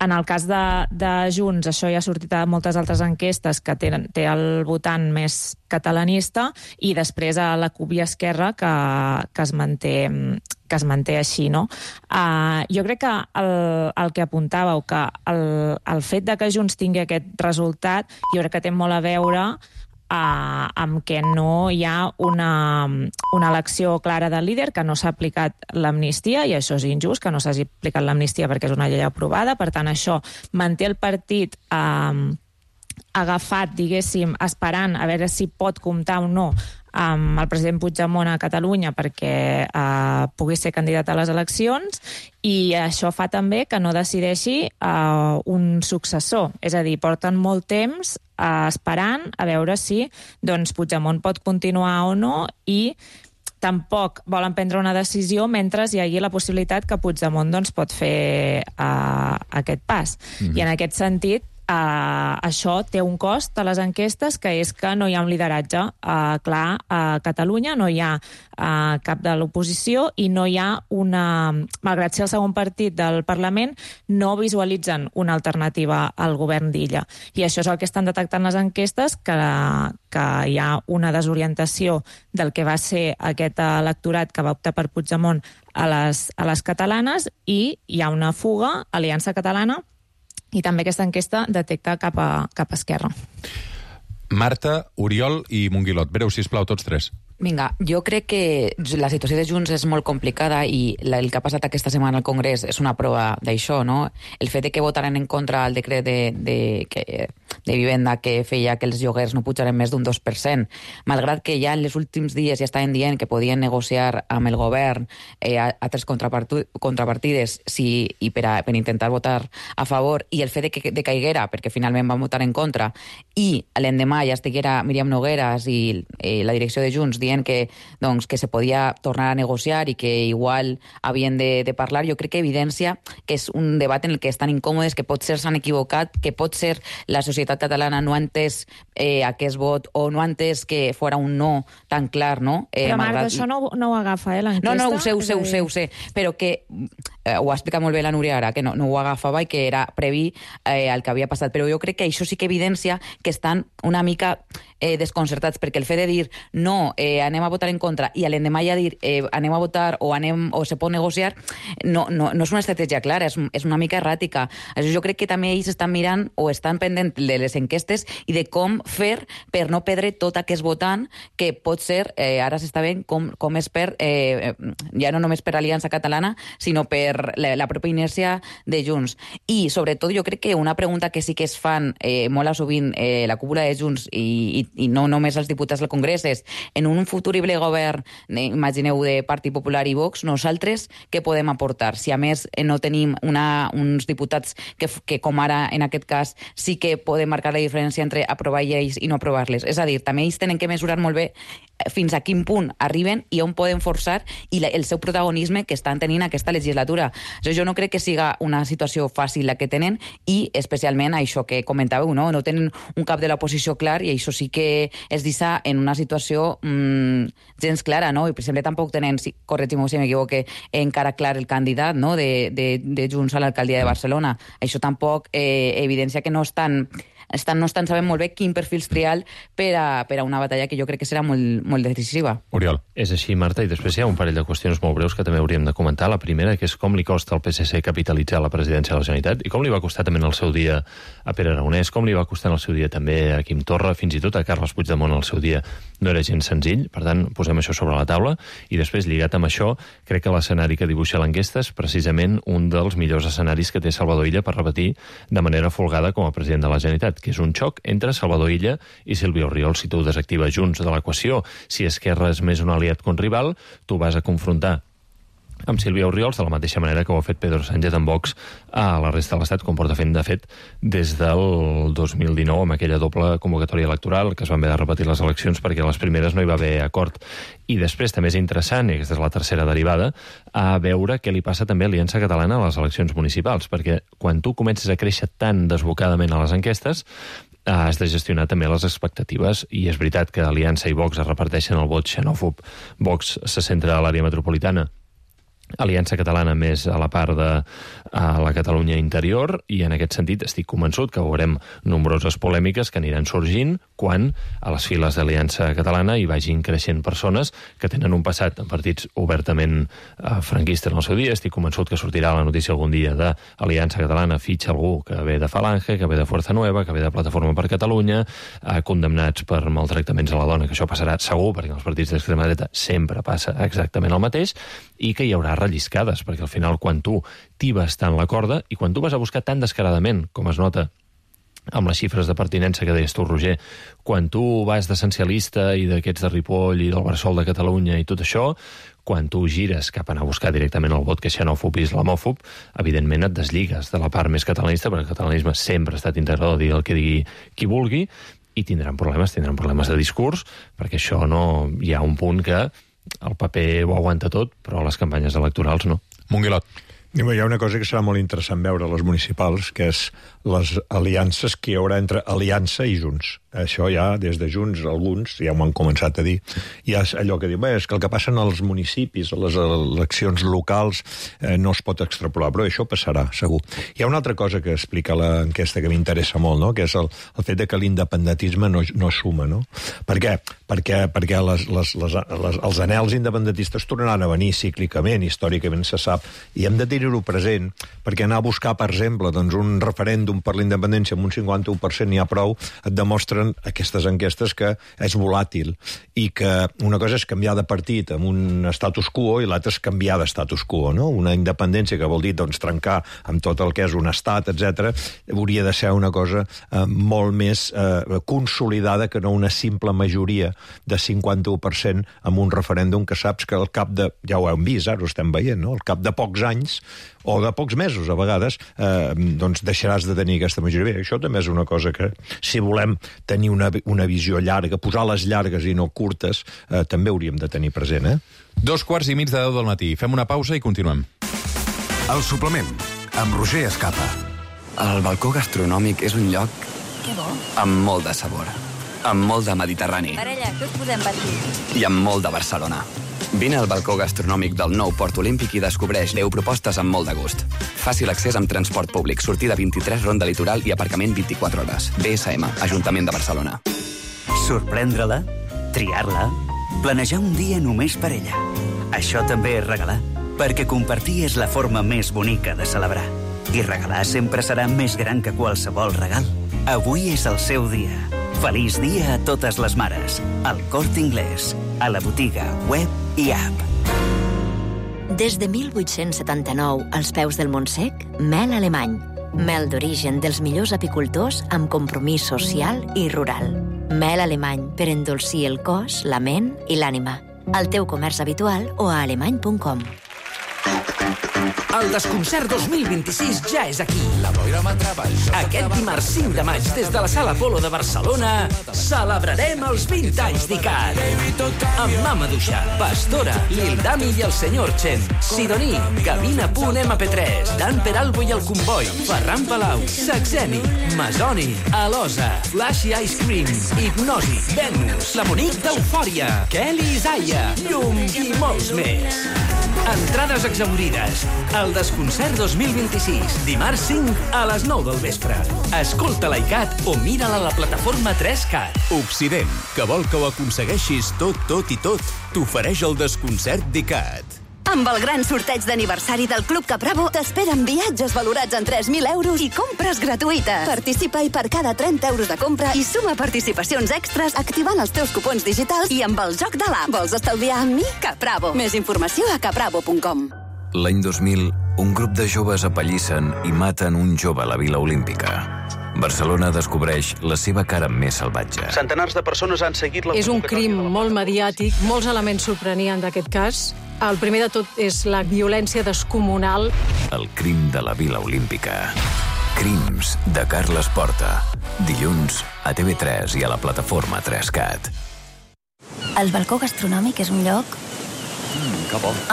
Speaker 6: En el cas de Junts, això ja ha sortit a moltes altres enquestes, que té el votant més catalanista, i després a la CUP i Esquerra, que es manté així, no? Jo crec que el que apuntàveu, que el fet de que Junts tingui aquest resultat, jo crec que té molt a veure amb que no hi ha una elecció clara del líder, que no s'ha aplicat l'amnistia, i això és injust, que no s'hagi aplicat l'amnistia perquè és una llei aprovada. Per tant, això manté el partit agafat, diguéssim, esperant a veure si pot comptar o no amb el president Puigdemont a Catalunya perquè pugui ser candidat a les eleccions, i això fa també que no decideixi un successor. És a dir, porten molt temps esperant a veure si Puigdemont pot continuar o no, i tampoc volen prendre una decisió mentre hi hagi la possibilitat que Puigdemont pot fer aquest pas. I en aquest sentit, això té un cost a les enquestes, que és que no hi ha un lideratge clar a Catalunya, no hi ha cap de l'oposició, i no hi ha malgrat ser el segon partit del Parlament, no visualitzen una alternativa al govern d'Illa. I això és el que estan detectant les enquestes, que hi ha una desorientació del que va ser aquest electorat que va optar per Puigdemont a les catalanes, i hi ha una fuga a Aliança Catalana, i també aquesta enquesta detecta cap a Esquerra.
Speaker 1: Marta, Oriol i Monguilot. Breu, sisplau, tots tres.
Speaker 13: Vinga, jo crec que la situació de Junts és molt complicada, i el que ha passat aquesta setmana al Congrés és una prova d'això, no? El fet de que votaren en contra el decret de vivenda que feia que els lloguers no pujaren més d'un 2%, malgrat que ja en els últims dies ja estaven dient que podien negociar amb el govern altres contrapartides i per intentar votar a favor, i el fet de que caiguera, perquè finalment van votar en contra, i l'endemà ja estiguera Míriam Nogueras i la direcció de Junts dient que se podia tornar a negociar i que igual havien de parlar, jo crec que evidencia que és un debat en el que estan incòmodes, que potser s'han equivocat, que potser la societat catalana no ha entès aquest vot, o no ha entès que fora un no tan clar, no?
Speaker 6: Però, Marta, això no ho agafa, l'enquesta?
Speaker 13: No, ho sé, però que ho ha explicat molt bé la Núria ara, que no ho agafava i que era previ al que havia passat, però jo crec que això sí que evidencia que estan una mica desconcertats, perquè el fet de dir no, anem a votar en contra, i l'endemà ja dir anem a votar o se pot negociar, no és una estratègia clara, és una mica erràtica. Jo crec que també ells estan mirant o estan pendents de les enquestes i de com fer per no perdre tot aquest votant, que pot ser, ara s'està veient com és per, ja no només per Aliança Catalana, sinó per la pròpia inèrcia de Junts. I sobretot jo crec que una pregunta que sí que es fan molt sovint la cúpula de Junts i no només els diputats del Congrés és, en un futurible govern, imagineu, de Partit Popular i Vox, nosaltres què podem aportar? Si a més no tenim uns diputats que com ara en aquest cas sí que poden marcar la diferència entre aprovar lleis i no aprovar-les. És a dir, també ells tenen que mesurar molt bé fins a quin punt arriben i on poden forçar, i el seu protagonisme que estan tenint aquesta legislatura. Jo no crec que siga una situació fàcil la que tenen, i especialment això que comentàveu, no tenen un cap de l'oposició clar, i això sí que es deixa en una situació gens clara, no? I per exemple tampoc tenen, corregim-me si m'equivoque, encara clar el candidat, no? de Junts a l'alcaldia de Barcelona. Això tampoc evidencia que no estan sabent molt bé quin perfil triar per a una batalla que jo crec que serà molt decisiva.
Speaker 1: Oriol.
Speaker 8: És així, Marta, i després hi ha un parell de qüestions molt breus que també hauríem de comentar. La primera, que és com li costa al PSC capitalitzar la presidència de la Generalitat, i com li va costar també en el seu dia a Pere Aragonès, com li va costar en el seu dia també a Quim Torra, fins i tot a Carles Puigdemont en el seu dia. No era gens senzill, per tant, posem això sobre la taula, i després, lligat amb això, crec que l'escenari que dibuixa l'enquesta és precisament un dels millors escenaris que té Salvador Illa per repetir de manera folgada com a president de la Generalitat, que és un xoc entre Salvador Illa i Sílvia Orriols. Si tu desactives Junts de l'equació, si Esquerra és més un aliat que un rival, tu vas a confrontar amb Sílvia Orriols de la mateixa manera que ho ha fet Pedro Sánchez amb Vox a la resta de l'Estat, com porta fent, de fet, des del 2019, amb aquella doble convocatòria electoral, que es van haver de repetir les eleccions perquè a les primeres no hi va haver acord. I després també és interessant, i aquesta és la tercera derivada, a veure què li passa també a Aliança Catalana a les eleccions municipals, perquè quan tu comences a créixer tan desbocadament a les enquestes, has de gestionar també les expectatives, i és veritat que Aliança i Vox es reparteixen el vot xenòfob. Vox se centra a l'àrea metropolitana Aliança Catalana més a la part de la Catalunya interior, i en aquest sentit estic convençut que veurem nombroses polèmiques que aniran sorgint quan a les files d'Aliança Catalana hi vagin creixent persones que tenen un passat en partits obertament franquistes en el seu dia. Estic convençut que sortirà la notícia algun dia de Aliança Catalana fitxa algú que ve de Falange, que ve de Fuerza Nueva, que ve de Plataforma per Catalunya, condemnats per maltractaments a la dona, que això passarà segur, perquè en els partits d'extrema dreta sempre passa exactament el mateix, i que hi haurà relliscades, perquè al final quan tu tibes tant la corda i quan tu vas a buscar tan descaradament, com es nota amb les xifres de pertinença que deies tu, Roger, quan tu vas d'essencialista i d'aquests de Ripoll i del Bressol de Catalunya i tot això, quan tu gires cap a anar a buscar directament el vot que xenòfob i islamòfob, evidentment et desligues de la part més catalanista, perquè el catalanisme sempre ha estat integrador, digui el que digui qui vulgui, i tindran problemes de discurs, perquè això no... Hi ha un punt que el paper ho aguanta tot, però les campanyes electorals no.
Speaker 1: Monguilot.
Speaker 7: Hi ha una cosa que serà molt interessant veure a les municipals, que és les aliances que hi haurà entre Aliança i Junts. Això ja, des de Junts, alguns ja m'ho han començat a dir. Hi ha allò que diu, és que el que passa als municipis, a les eleccions locals, no es pot extrapolar, però això passarà, segur. Hi ha una altra cosa que explica l'enquesta que m'interessa molt, no? Que és el fet de que l'independentisme no suma, no? Per què? Perquè els anhels independentistes tornaran a venir cíclicament, històricament se sap, i hem de tenir-ho present, perquè anar a buscar, per exemple, un referèndum per la independència amb un 51% n'hi ha prou, et demostren aquestes enquestes que és volàtil i que una cosa és canviar de partit amb un status quo i l'altra és canviar de status quo, no? Una independència que vol dir trencar amb tot el que és un estat, etc., hauria de ser una cosa molt més consolidada que no una simple majoria de 51% amb un referèndum que saps que al cap de, ja ho hem vist, ara ho estem veient, no? Al cap de pocs anys o de pocs mesos, a vegades, deixaràs de tenir aquesta majoria. Això també és una cosa que, si volem tenir una visió llarga, posar les llargues i no curtes, també hauríem de tenir present,
Speaker 1: 2:15 de 10 del matí. Fem una pausa i continuem.
Speaker 2: El suplement, amb Roger Escapa.
Speaker 14: El balcó gastronòmic és un lloc amb molt de sabor, amb molt de Mediterrani.
Speaker 15: Parella, què us podem patir?
Speaker 14: I amb molt de Barcelona. Vine al balcó gastronòmic del nou Port Olímpic i descobreix 10 propostes amb molt de gust. Fàcil accés amb transport públic, sortida 23, ronda litoral i aparcament 24 hores. BSM, Ajuntament de Barcelona.
Speaker 16: Sorprendre-la, triar-la, planejar un dia només per ella. Això també és regalar, perquè compartir és la forma més bonica de celebrar. I regalar sempre serà més gran que qualsevol regal. Avui és el seu dia. Feliç dia a totes les mares. Al Corte Inglés, a la botiga, web i app.
Speaker 17: Des de 1879, als peus del Montsec, mel alemany. Mel d'origen dels millors apicultors amb compromís social i rural. Mel alemany per endolcir el cos, la ment i l'ànima. Al teu comerç habitual o a alemany.com.
Speaker 12: El Desconcert 2026 ja és aquí. Aquest dimarts 5 de maig, des de la Sala Apolo de Barcelona, celebrarem els 20 anys d'ICAT. Amb Mama Duixa, Pastora, Lil Dami i el Senyor Chen, Sidoní, Gavina.mp3, Dan Peralbo i el Comboi, Ferran Palau, Saxeni, Masoni, Alosa, Flashy Ice Cream, Hipnosi, Venus, la Monique d'Eufòria, Kelly Isaiah, Llum i molts més. Entrades exaurides. El Desconcert 2026, dimarts 5 a les 9 del vespre. Escolta l'ICAT o mira-la a la plataforma 3CAT.
Speaker 18: Occident, que vol que ho aconsegueixis tot t'ofereix el Desconcert d'ICAT.
Speaker 19: Amb el gran sorteig d'aniversari del Club Capravo t'esperen viatges valorats en 3.000 euros i compres gratuïtes. Participa i per cada 30 euros de compra i suma participacions extras activant els teus cupons digitals i amb el joc de l'app. Vols estalviar amb mi? Capravo. Més informació a capravo.com.
Speaker 20: L'any 2000, un grup de joves apallissen i maten un jove a la Vila Olímpica. Barcelona descobreix la seva cara més salvatge.
Speaker 10: Centenars de persones han seguit la...
Speaker 21: És un crim molt mediàtic, molts elements sorprenien d'aquest cas. El primer de tot és la violència descomunal.
Speaker 20: El crim de la Vila Olímpica. Crims de Carles Porta. Dilluns a TV3 i a la plataforma 3CAT.
Speaker 22: El balcó gastronòmic és un lloc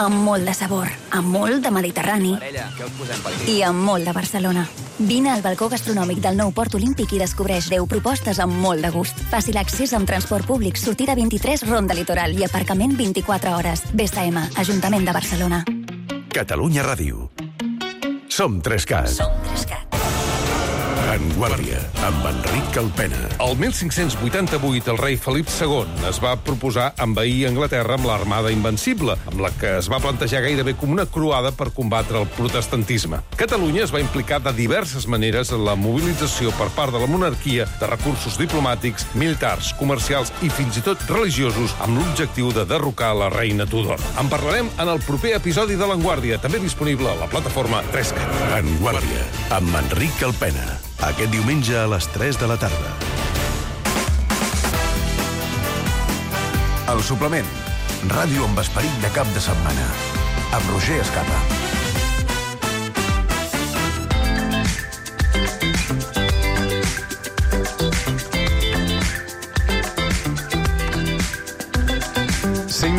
Speaker 22: amb molt de sabor, amb molt de Mediterrani i amb molt de Barcelona. Vine al balcó gastronòmic del nou Port Olímpic i descobreix 10 propostes amb molt de gust. Fàcil accés amb transport públic, sortida 23, ronda litoral i aparcament 24 hores. BSM, Ajuntament de Barcelona.
Speaker 2: Catalunya Ràdio. Som 3CAT. En Guàrdia, amb Enric Calpena.
Speaker 4: El 1588, el rei Felip II es va proposar envair Anglaterra amb l'Armada Invencible, amb la que es va plantejar gairebé com una croada per combatre el protestantisme. Catalunya es va implicar de diverses maneres en la mobilització per part de la monarquia de recursos diplomàtics, militars, comercials i fins i tot religiosos amb l'objectiu de derrocar la reina Tudor. En parlarem en el proper episodi de l'Enguàrdia, també disponible a la plataforma 3CAT.
Speaker 2: En Guàrdia, amb Enric Calpena. Aquest diumenge a les 3 de la tarda. El suplement. Ràdio amb esperit de cap de setmana. Amb Roger Escapa.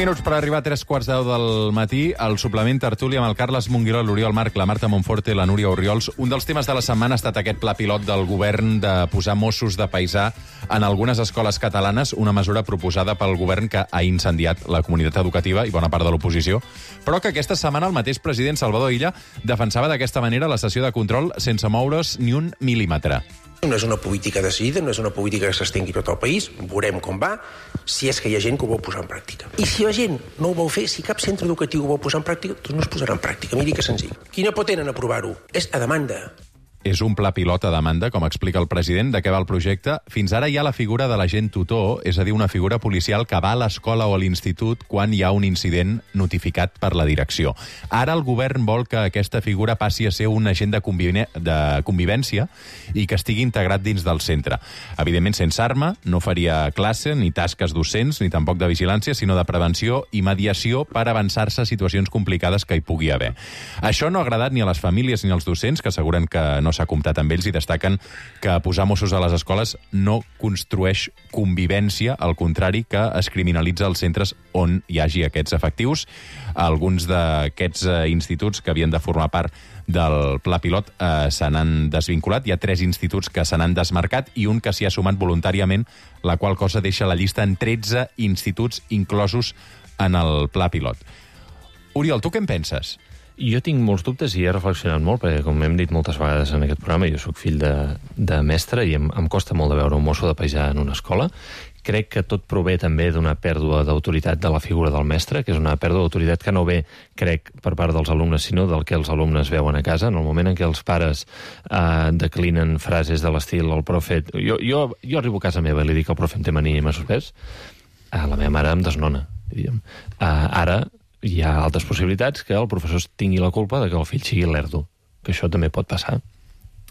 Speaker 1: Minuts per arribar a 3:15 del matí, el suplement tertúlia amb el Carles Monguiró, l'Oriol Marc, la Marta Monforte, la Núria Orriols. Un dels temes de la setmana ha estat aquest pla pilot del govern de posar Mossos de paisà en algunes escoles catalanes, una mesura proposada pel govern que ha incendiat la comunitat educativa i bona part de l'oposició, però que aquesta setmana el mateix president Salvador Illa defensava d'aquesta manera la sessió de control sense moure's ni un mil·límetre.
Speaker 15: No és una política decidida, no és una política que s'estengui tot el país, veurem com va, si és que hi ha gent que ho vol posar en pràctica. I si la gent no ho vol fer, si cap centre educatiu ho vol posar en pràctica, doncs no es posarà en pràctica. Miri que senzill. Qui no pot tenen aprovar-ho és a demanda.
Speaker 1: És un pla pilot a demanda, com explica el president, de què va el projecte. Fins ara hi ha la figura de l'agent tutor, és a dir, una figura policial que va a l'escola o a l'institut quan hi ha un incident notificat per la direcció. Ara el govern vol que aquesta figura passi a ser un agent de convivència i que estigui integrat dins del centre. Evidentment, sense arma, no faria classe, ni tasques docents, ni tampoc de vigilància, sinó de prevenció i mediació per avançar-se a situacions complicades que hi pugui haver. Això no ha agradat ni a les famílies ni als docents, que asseguren que no s'ha comptat amb ells i destaquen que posar Mossos a les escoles no construeix convivència, al contrari, que es criminalitza els centres on hi hagi aquests efectius. Alguns d'aquests instituts que havien de formar part del pla pilot se n'han desvinculat. Hi ha 3 instituts que se n'han desmarcat i un que s'hi ha sumat voluntàriament, la qual cosa deixa la llista en 13 instituts inclosos en el pla pilot. Oriol, tu què en penses?
Speaker 8: Jo tinc molts dubtes i he reflexionat molt, perquè, com hem dit moltes vegades en aquest programa, jo sóc fill de mestre i em costa molt de veure un mosso de paisà en una escola. Crec que tot prové també d'una pèrdua d'autoritat de la figura del mestre, que és una pèrdua d'autoritat que no ve, crec, per part dels alumnes, sinó del que els alumnes veuen a casa. En el moment en què els pares declinen frases de l'estil el profe... Jo arribo a casa meva i li dic el profe em té mania i m'ha suspès, la meva mare em desnona. Ara hi ha altres possibilitats que el professor tingui la culpa de que el fill sigui lerdo, que això també pot passar.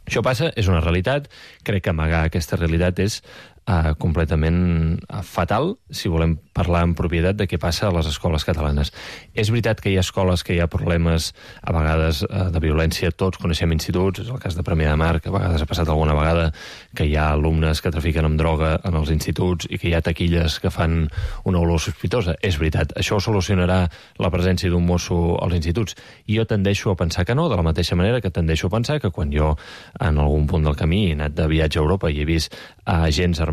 Speaker 8: Això passa, és una realitat, crec que amagar aquesta realitat és completament fatal si volem parlar en propietat de què passa a les escoles catalanes. És veritat que hi ha escoles que hi ha problemes a vegades de violència, tots coneixem instituts, és el cas de Premià de Mar, que a vegades ha passat alguna vegada que hi ha alumnes que trafiquen amb droga en els instituts i que hi ha taquilles que fan una olor sospitosa. És veritat, això ho solucionarà la presència d'un mosso als instituts. Jo tendeixo a pensar que no, de la mateixa manera que tendeixo a pensar que quan jo en algun punt del camí he anat de viatge a Europa i he vist agents armats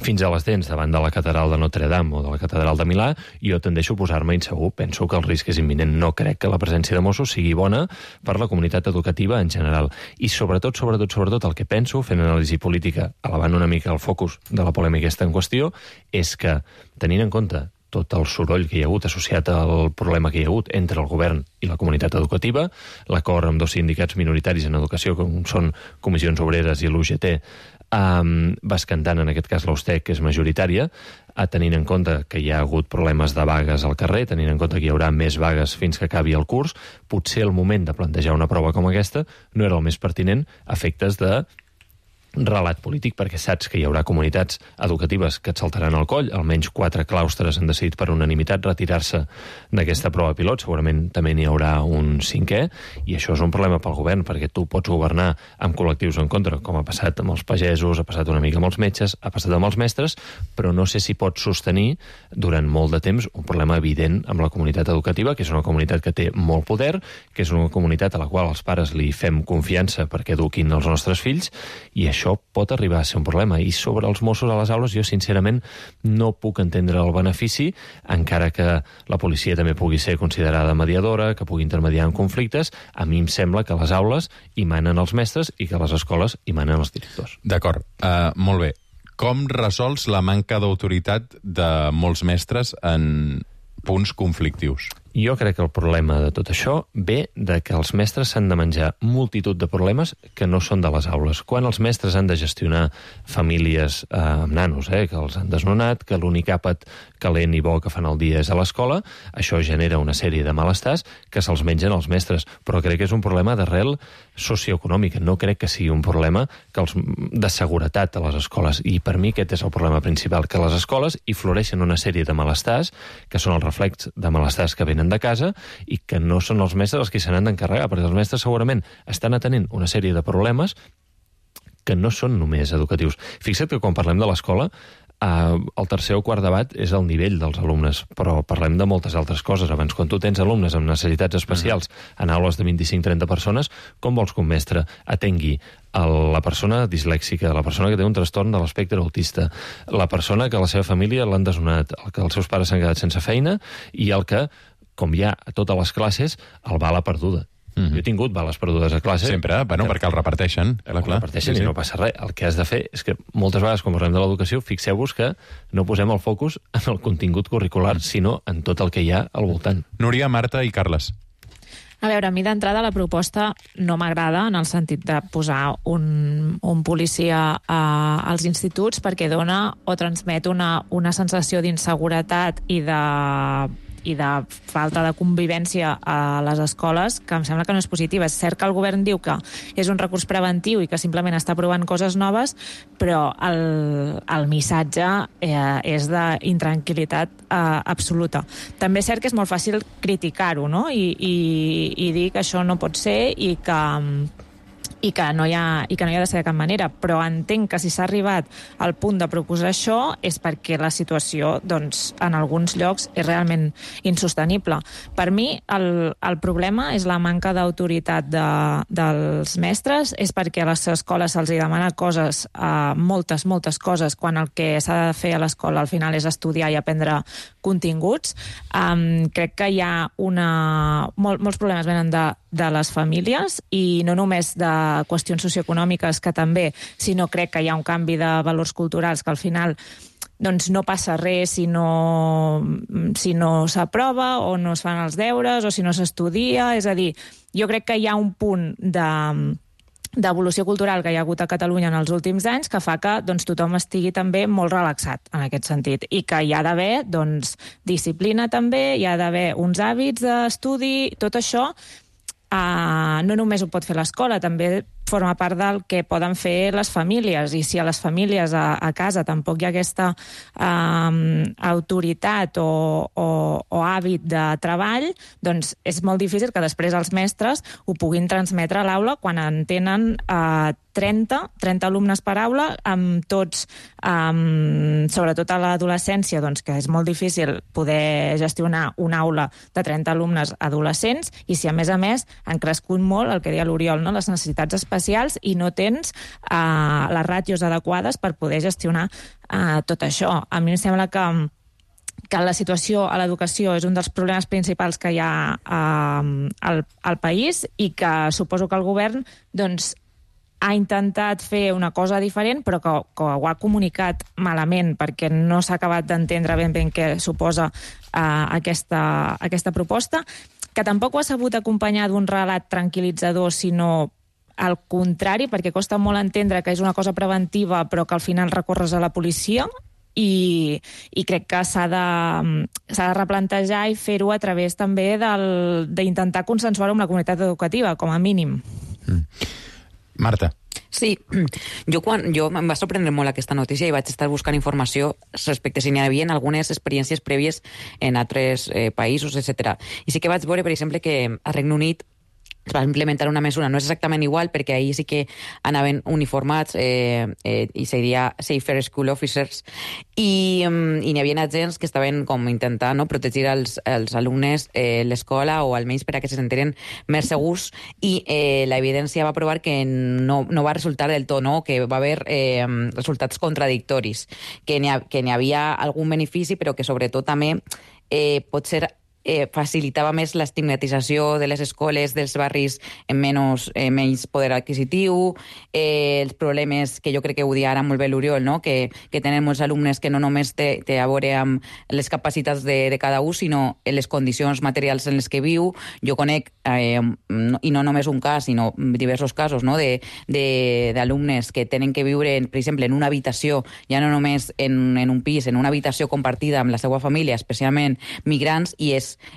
Speaker 8: fins a les dents davant de la catedral de Notre Dame o de la catedral de Milà, jo tendeixo a posar-me insegur. Penso que el risc és imminent. No crec que la presència de Mossos sigui bona per la comunitat educativa en general. I sobretot, el que penso, fent anàlisi política, elevant una mica el focus de la polèmica aquesta en qüestió, és que, tenint en compte tot el soroll que hi ha hagut associat al problema que hi ha hagut entre el govern i la comunitat educativa, l'acord amb 2 sindicats minoritaris en educació, com són Comissions Obreres i l'UGT, bescantant en aquest cas l'Austec, que és majoritària, tenint en compte que hi ha hagut problemes de vagues al carrer, tenint en compte que hi haurà més vagues fins que acabi el curs, potser el moment de plantejar una prova com aquesta no era el més pertinent a efectes de relat polític, perquè saps que hi haurà comunitats educatives que et saltaran al coll. Almenys 4 claustres han decidit per unanimitat retirar-se d'aquesta prova pilot. Segurament també n'hi haurà un 5è, i això és un problema pel govern, perquè tu pots governar amb col·lectius en contra, com ha passat amb els pagesos, ha passat una mica amb els metges, ha passat amb els mestres, però no sé si pots sostenir durant molt de temps un problema evident amb la comunitat educativa, que és una comunitat que té molt poder, que és una comunitat a la qual els pares li fem confiança perquè eduquin els nostres fills, i això això pot arribar a ser un problema. I sobre els Mossos a les aules, jo sincerament no puc entendre el benefici, encara que la policia també pugui ser considerada mediadora, que pugui intermediar en conflictes. A mi em sembla que a les aules hi manen els mestres i que a les escoles hi manen els directors.
Speaker 1: D'acord, molt bé. Com resols la manca d'autoritat de molts mestres en punts conflictius?
Speaker 8: Jo crec que el problema de tot això ve de que els mestres s'han de menjar multitud de problemes que no són de les aules. Quan els mestres han de gestionar famílies amb nanos, que els han desnonat, que l'únic àpat calent i bo que fan al dia és a l'escola, això genera una sèrie de malestars que se'ls mengen els mestres. Però crec que és un problema d'arrel socioeconòmica. No crec que sigui un problema de seguretat a les escoles. I per mi aquest és el problema principal, que a les escoles hi floreixen una sèrie de malestars que són el reflex de malestars que venen de casa i que no són els mestres els que se n'han d'encarregar, perquè els mestres segurament estan atenent una sèrie de problemes que no són només educatius. Fixa't que quan parlem de l'escola, el tercer o quart debat és el nivell dels alumnes, però parlem de moltes altres coses. Abans, quan tu tens alumnes amb necessitats especials en aules de 25-30 persones, com vols que un mestre atengui la persona dislèxica, la persona que té un trastorn de l'espectre autista, la persona que la seva família l'han desnonat, el que els seus pares s'han quedat sense feina i el que, com hi ha a totes les classes, el bala perduda. Jo he tingut bales perdudes a classe.
Speaker 1: Sempre, perquè el reparteixen.
Speaker 8: El reparteixen i no passa res. El que has de fer és que moltes vegades, quan parlem de l'educació, fixeu-vos que no posem el focus en el contingut curricular, sinó en tot el que hi ha al voltant.
Speaker 1: Núria, Marta i Carles.
Speaker 6: A veure, a mi d'entrada la proposta no m'agrada en el sentit de posar un policia als instituts perquè dona o transmet una sensació d'inseguretat i de falta de convivència a les escoles, que em sembla que no és positiva. És cert que el govern diu que és un recurs preventiu i que simplement està provant coses noves, però el missatge és d'intranquil·litat absoluta. També és cert que és molt fàcil criticar-ho, no? I dir que això no pot ser i que no hi ha de ser de cap manera, però entenc que si s'ha arribat al punt de proposar això és perquè la situació, doncs, en alguns llocs és realment insostenible. Per mi, el problema és la manca d'autoritat dels mestres, és perquè a les escoles se'ls demana coses, moltes coses, quan el que s'ha de fer a l'escola al final és estudiar i aprendre continguts. Crec que hi ha molts problemes venen de les famílies i no només de qüestions socioeconòmiques, que també, sinó crec que hi ha un canvi de valors culturals que al final doncs no passa res si no s'aprova o no es fan els deures o si no s'estudia. És a dir, jo crec que hi ha un punt d'evolució cultural que hi ha hagut a Catalunya en els últims anys que fa que doncs, tothom estigui també molt relaxat en aquest sentit i que hi ha d'haver disciplina també, hi ha d'haver uns hàbits d'estudi, tot això no només ho pot fer l'escola, també forma part del que poden fer les famílies, i si a les famílies a casa tampoc hi ha aquesta autoritat o hàbit de treball, doncs és molt difícil que després els mestres ho puguin transmetre a l'aula quan en tenen 30 alumnes per aula, amb tots, sobretot a l'adolescència, doncs que és molt difícil poder gestionar una aula de 30 alumnes adolescents, i si a més han crescut molt, el que deia l'Oriol, no? Les necessitats especials, i no tens les ràtios adequades per poder gestionar tot això. A mi em sembla que la situació a l'educació és un dels problemes principals que hi ha al país i que suposo que el govern doncs, ha intentat fer una cosa diferent, però que ho ha comunicat malament, perquè no s'ha acabat d'entendre ben què suposa aquesta proposta, que tampoc ho ha sabut acompanyar d'un relat tranquil·litzador, sinó al contrari, perquè costa molt entendre que és una cosa preventiva, però que al final recorres a la policia, i crec que s'ha de replantejar i fer-ho a través també d'intentar consensuar-ho amb la comunitat educativa, com a mínim.
Speaker 1: Marta.
Speaker 13: Sí, jo em va sorprendre molt aquesta notícia i vaig estar buscant informació respecte si n'hi havia algunes experiències prèvies en altres països, etc. I sí que vaig veure, per exemple, que a Regne Unit es va implementar una mesura, no és exactament igual, perquè ahir sí que anaven uniformats i seria Safer School Officers, i n'hi havia agents que estaven com intentant protegir els alumnes, l'escola, o almenys per a que se sentien més segurs, i l'evidència va provar que no va resultar del tot, que va haver resultats contradictoris, que n'hi havia algun benefici, però que sobretot també potser facilitava més l'estigmatització de les escoles dels barris amb menys poder adquisitiu, els problemes que jo crec que ho dia ara molt bé l'Oriol, que tenen molts alumnes que no només té a veure amb les capacitats de cada un, sinó les condicions materials en les que viu. Jo conec, i no només un cas, sinó diversos casos, d'alumnes que tenen que viure, per exemple, en una habitació, ja no només en un pis, en una habitació compartida amb la seva família, especialment migrants,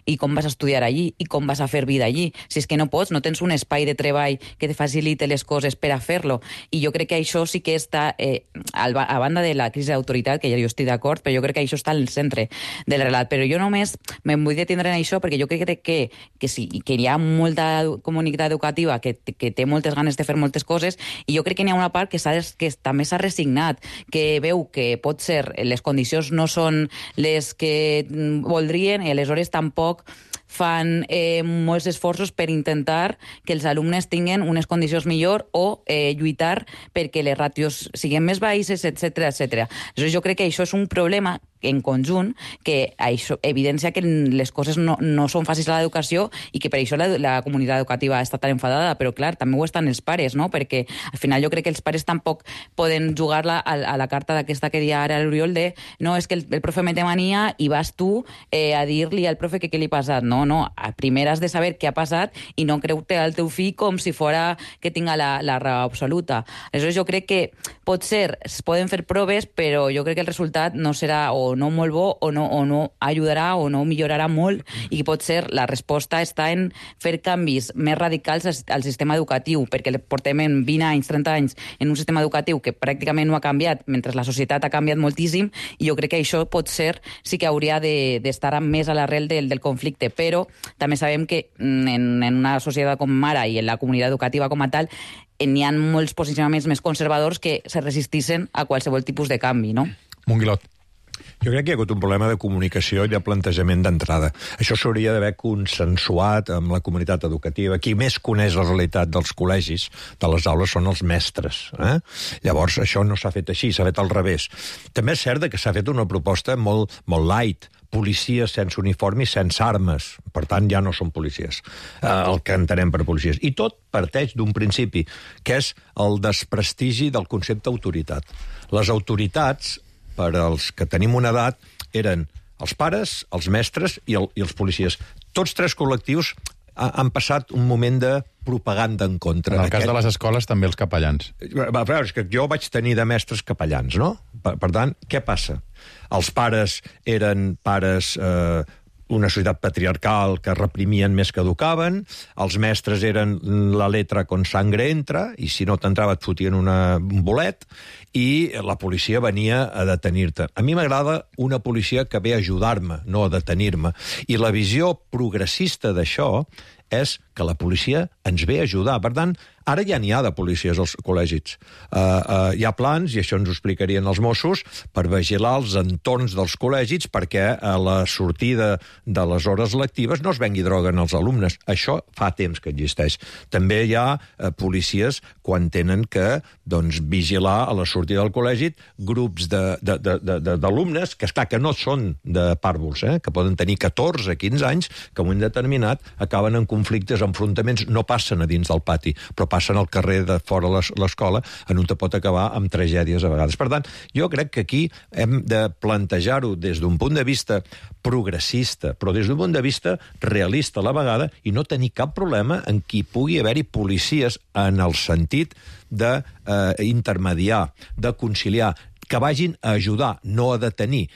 Speaker 13: i com vas a estudiar allí, i com vas a fer vida allí. Si és que no pots, no tens un espai de treball que te facilite les coses per a fer-lo. I jo crec que això sí que està, a banda de la crisi d'autoritat, que ja jo estic d'acord, però jo crec que això està al centre del relat. Però jo només me'n vull detindre en això, perquè jo crec que sí, que hi ha molta comunitat educativa que té moltes ganes de fer moltes coses, i jo crec que n'hi ha una part que també s'ha resignat, que veu que pot ser les condicions no són les que voldrien, i aleshores tampoc fan molts esforços per intentar que els alumnes tinguin unes condicions millor o lluitar perquè les ràtios siguin més baixes, etc. Aleshores, jo crec que això és un problema en conjunt, que això evidencia que les coses no són fàcils a l'educació, i que per això la comunitat educativa està tan enfadada, però clar, també ho estan els pares, perquè al final jo crec que els pares tampoc poden jugar-la a la carta d'aquesta que deia ara l'Oriol de no, és que el profe me té mania i vas tu a dir-li al profe que què li ha passat. No, primer has de saber què ha passat i no creure al teu fill com si fora que tinga la raó absoluta. Aleshores jo crec que potser es poden fer proves, però jo crec que el resultat no serà o no molt bo, o no ajudarà o no millorarà molt, i potser la resposta està en fer canvis més radicals al sistema educatiu, perquè portem en 20 anys, 30 anys en un sistema educatiu que pràcticament no ha canviat, mentre la societat ha canviat moltíssim, i jo crec que això potser sí que hauria d'estar més a l'arrel del conflicte, però també sabem que en una societat com ara i en la comunitat educativa com a tal n'hi ha molts posicionaments més conservadors que se resistixen a qualsevol tipus de canvi, no?
Speaker 1: Monguilot.
Speaker 7: Jo crec que hi ha hagut un problema de comunicació i de plantejament d'entrada. Això s'hauria d'haver consensuat amb la comunitat educativa. Qui més coneix la realitat dels col·legis, de les aules, són els mestres. Llavors, això no s'ha fet així, s'ha fet al revés. També és cert que s'ha fet una proposta molt light, policies sense uniforme i sense armes. Per tant, ja no són policies, el que entenem per policies. I tot parteix d'un principi, que és el desprestigi del concepte autoritat. Les autoritats, per als que tenim una edat, eren els pares, els mestres i els policies. Tots tres col·lectius han passat un moment de propaganda en contra.
Speaker 1: En el cas de les escoles, també els capellans.
Speaker 7: És que jo vaig tenir de mestres capellans, no? Per tant, què passa? Els pares eren pares... una societat patriarcal que reprimien més que educaven, els mestres eren la letra con sangre entra, i si no t'entrava et fotien un bolet, i la policia venia a detenir-te. A mi m'agrada una policia que ve a ajudar-me, no a detenir-me. I la visió progressista d'això és que la policia ens ve a ajudar. Per tant, ara ja n'hi ha de policies als col·legis. Hi ha plans, i això ens ho explicarien els Mossos, per vigilar els entorns dels col·legis perquè a la sortida de les hores lectives no es vengui droga en els alumnes. Això fa temps que existeix. També hi ha policies quan tenen que vigilar a la sortida del col·legi grups d'alumnes que, esclar, que no són de pàrvuls, que poden tenir 14, 15 anys, que en un moment determinat acaben en conflictes, enfrontaments, no passen a dins del pati, però passen al carrer de fora l'escola, en on te pot acabar amb tragèdies a vegades. Per tant, jo crec que aquí hem de plantejar-ho des d'un punt de vista progressista, però des d'un punt de vista realista a la vegada, i no tenir cap problema en qui pugui haver-hi policies en el sentit d'intermediar, de conciliar, que vagin a ajudar, no a detenir.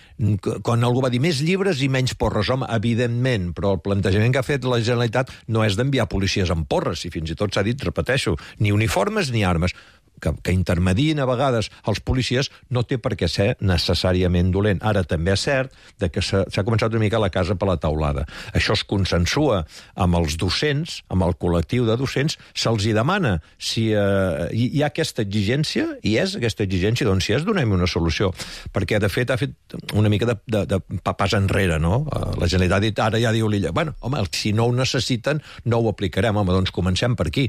Speaker 7: Quan algú va dir més llibres i menys porres, home, evidentment, però el plantejament que ha fet la Generalitat no és d'enviar policies amb porres, i fins i tot s'ha dit, repeteixo, ni uniformes ni armes. que intermedien a vegades els policies no té per què ser necessàriament dolent. Ara també és cert que s'ha començat una mica la casa per la teulada. Això es consensua amb els docents, amb el col·lectiu de docents, se'ls hi demana si hi ha aquesta exigència, i és aquesta exigència, doncs si és, donem una solució. Perquè, de fet, ha fet una mica de pas enrere, no? La Generalitat ha dit, ara ja diu l'Illa, bueno, home, si no ho necessiten, no ho aplicarem. Home, doncs comencem per aquí.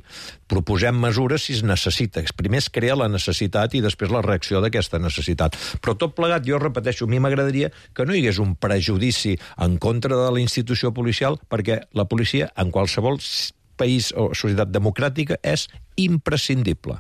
Speaker 7: Proposem mesures si es necessita. Primer es crea la necessitat i després la reacció d'aquesta necessitat. Però tot plegat, jo repeteixo, a mi m'agradaria que no hi hagués un prejudici en contra de la institució policial, perquè la policia, en qualsevol país o societat democràtica, és imprescindible.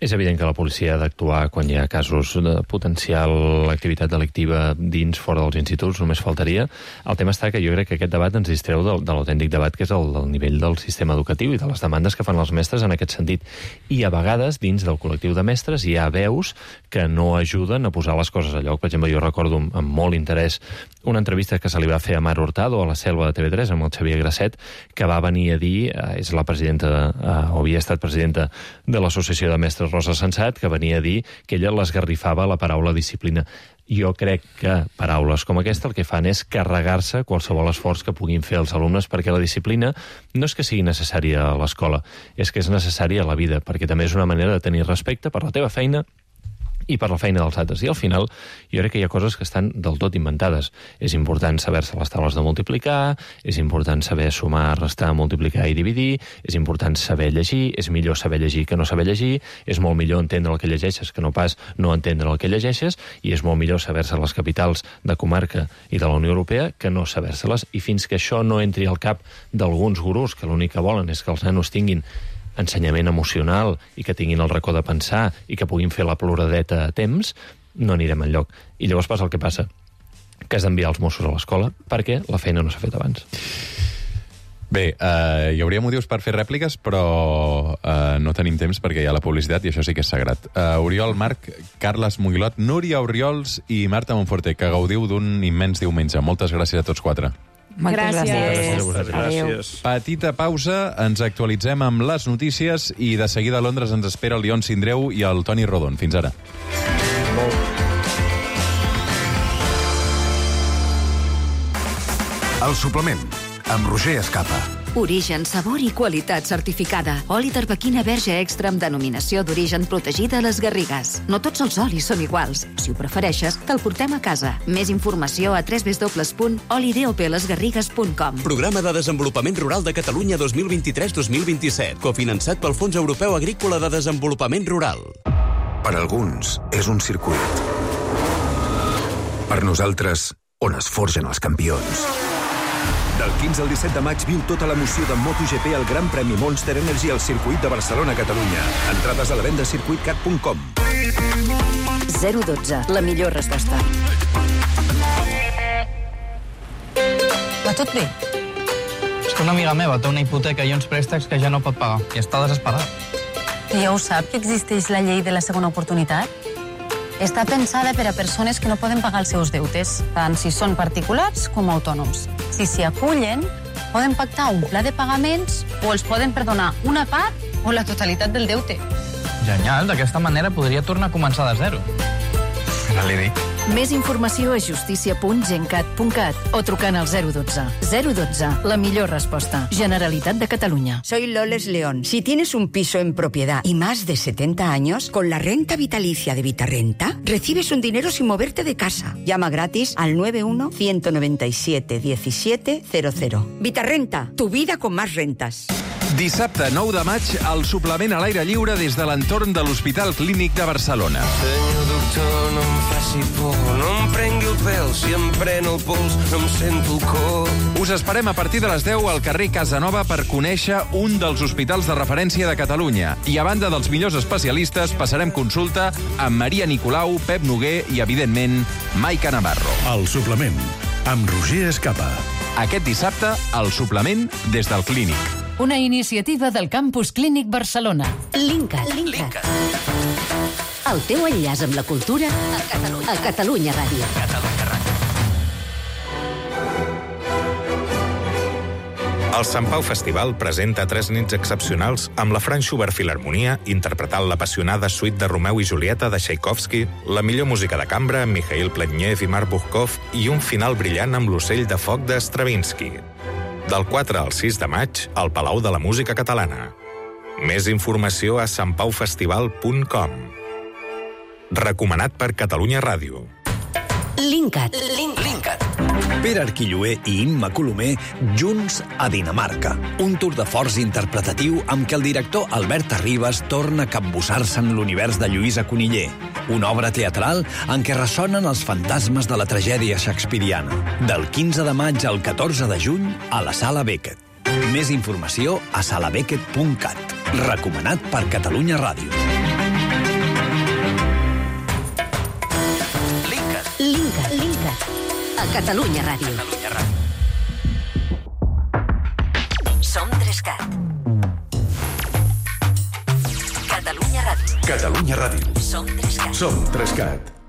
Speaker 8: És evident que la policia ha d'actuar quan hi ha casos de potencial activitat delictiva dins, fora dels instituts, només faltaria. El tema està que jo crec que aquest debat ens distreu de l'autèntic debat que és el del nivell del sistema educatiu i de les demandes que fan els mestres en aquest sentit. I a vegades, dins del col·lectiu de mestres, hi ha veus que no ajuden a posar les coses a lloc. Per exemple, jo recordo amb molt interès una entrevista que se li va fer a Mar Hurtado a la Selva de TV3 amb el Xavier Grasset, que va venir a dir, és la presidenta, o havia estat presidenta de l'Associació de Mestres Rosa Sensat, que venia a dir que ella l'esgarrifava la paraula disciplina. Jo crec que paraules com aquesta el que fan és carregar-se qualsevol esforç que puguin fer els alumnes, perquè la disciplina no és que sigui necessària a l'escola, és que és necessària a la vida, perquè també és una manera de tenir respecte per la teva feina i per la feina dels altres. I al final jo crec que hi ha coses que estan del tot inventades. És important saber-se les taules de multiplicar, és important saber sumar, restar, multiplicar i dividir, és important saber llegir, és millor saber llegir que no saber llegir, és molt millor entendre el que llegeixes que no pas no entendre el que llegeixes, i és molt millor saber-se les capitals de comarca i de la Unió Europea que no saber-se-les. I fins que això no entri al cap d'alguns gurús que l'únic que volen és que els nanos tinguin ensenyament emocional i que tinguin el racó de pensar i que puguin fer la ploradeta a temps, no anirem enlloc. I llavors passa el que passa, que has d'enviar els Mossos a l'escola perquè la feina no s'ha fet abans.
Speaker 1: Bé, hi hauria motius per fer rèpliques, però no tenim temps perquè hi ha la publicitat i això sí que és sagrat. Oriol Marc, Carles Muguilot, Núria Oriols i Marta Monforte, que gaudiu d'un immens diumenge. Moltes gràcies a tots quatre.
Speaker 6: Gràcies.
Speaker 1: Petita pausa, ens actualitzem amb les notícies i de seguida a Londres ens espera el Lion Sindreu i el Toni Rodon. Fins ara.
Speaker 2: El suplement, amb Roger Escapa.
Speaker 3: Origen, sabor i qualitat certificada. Oli d'arbequina verge extra amb denominació d'origen protegida a les Garrigues. No tots els olis són iguals. Si ho prefereixes, te'l portem a casa. Més informació a www.olidopelesgarrigues.com.
Speaker 18: Programa de Desenvolupament Rural de Catalunya 2023-2027, cofinançat pel Fons Europeu Agrícola de Desenvolupament Rural.
Speaker 2: Per alguns, és un circuit. Per nosaltres, on es forgen els campions. Del 15 al 17 de maig viu tota l'emoció de MotoGP al Gran Premi Monster Energy al circuit de Barcelona, Catalunya. Entrades a la venda a circuitcat.com.
Speaker 3: 012, la millor resposta.
Speaker 9: Va tot bé? És que una amiga meva té una hipoteca i uns préstecs que ja no pot pagar i està desesperada.
Speaker 22: I ja ho sap que existeix la llei de la segona oportunitat? Està pensada per a persones que no poden pagar els seus deutes, tant si són particulars com autònoms. Si s'hi acullen, poden pactar un pla de pagaments o els poden perdonar una part o la totalitat del deute.
Speaker 9: Genial, d'aquesta manera podria tornar a començar de zero. No li dic.
Speaker 3: Més informació a justícia.gencat.cat o trucant al 012. 012, la millor resposta. Generalitat de Catalunya.
Speaker 23: Soy Loles León. Si tienes un piso en propiedad y más de 70 años, con la renta vitalicia de Vitarrenta, recibes un dinero sin moverte de casa. Llama gratis al 91-197-1700. Vitarrenta, tu vida con más rentas.
Speaker 1: Dissabte 9 de maig, el suplement a l'aire lliure des de l'entorn de l'Hospital Clínic de Barcelona.
Speaker 24: Senyor doctor, no em faci por, no em prengui el pèl, si em pren el pols no em sento el cor.
Speaker 1: Us esperem a partir de les 10 al carrer Casanova per conèixer un dels hospitals de referència de Catalunya. I a banda dels millors especialistes, passarem consulta amb Maria Nicolau, Pep Noguer i, evidentment, Maica Navarro.
Speaker 2: El suplement, amb Roger Escapa.
Speaker 1: Aquest dissabte, el suplement des del Clínic.
Speaker 3: Una iniciativa del Campus Clínic Barcelona. Linkat. El teu enllaç amb la cultura a Catalunya Ràdio.
Speaker 5: El Sant Pau Festival presenta 3 nits excepcionals amb la Franz Schubert Filharmonia interpretant l'apassionada suite de Romeu i Julieta de Tchaikovsky, la millor música de cambra amb Mikhail Pletnev i Mark Buchkov i un final brillant amb l'Ocell de foc de Stravinsky. Del 4 al 6 de maig, al Palau de la Música Catalana. Més informació a santpaufestival.com. Recomanat per Catalunya Ràdio.
Speaker 11: Linkat. Pere Arquilloé i Imma Colomer junts a Dinamarca. Un tour de forç interpretatiu amb què el director Albert Arribas torna a capbussar-se en l'univers de Lluïsa Coniller. Una obra teatral en què ressonen els fantasmes de la tragèdia shakespeariana. Del 15 de maig al 14 de juny a la Sala Beckett. Més informació a salabeckett.cat. Recomanat per Catalunya Ràdio.
Speaker 22: Linkat. A Catalunya Ràdio. Som 3CAT. Catalunya Ràdio.
Speaker 2: Catalunya Ràdio.
Speaker 22: Som 3CAT.
Speaker 2: Som 3CAT.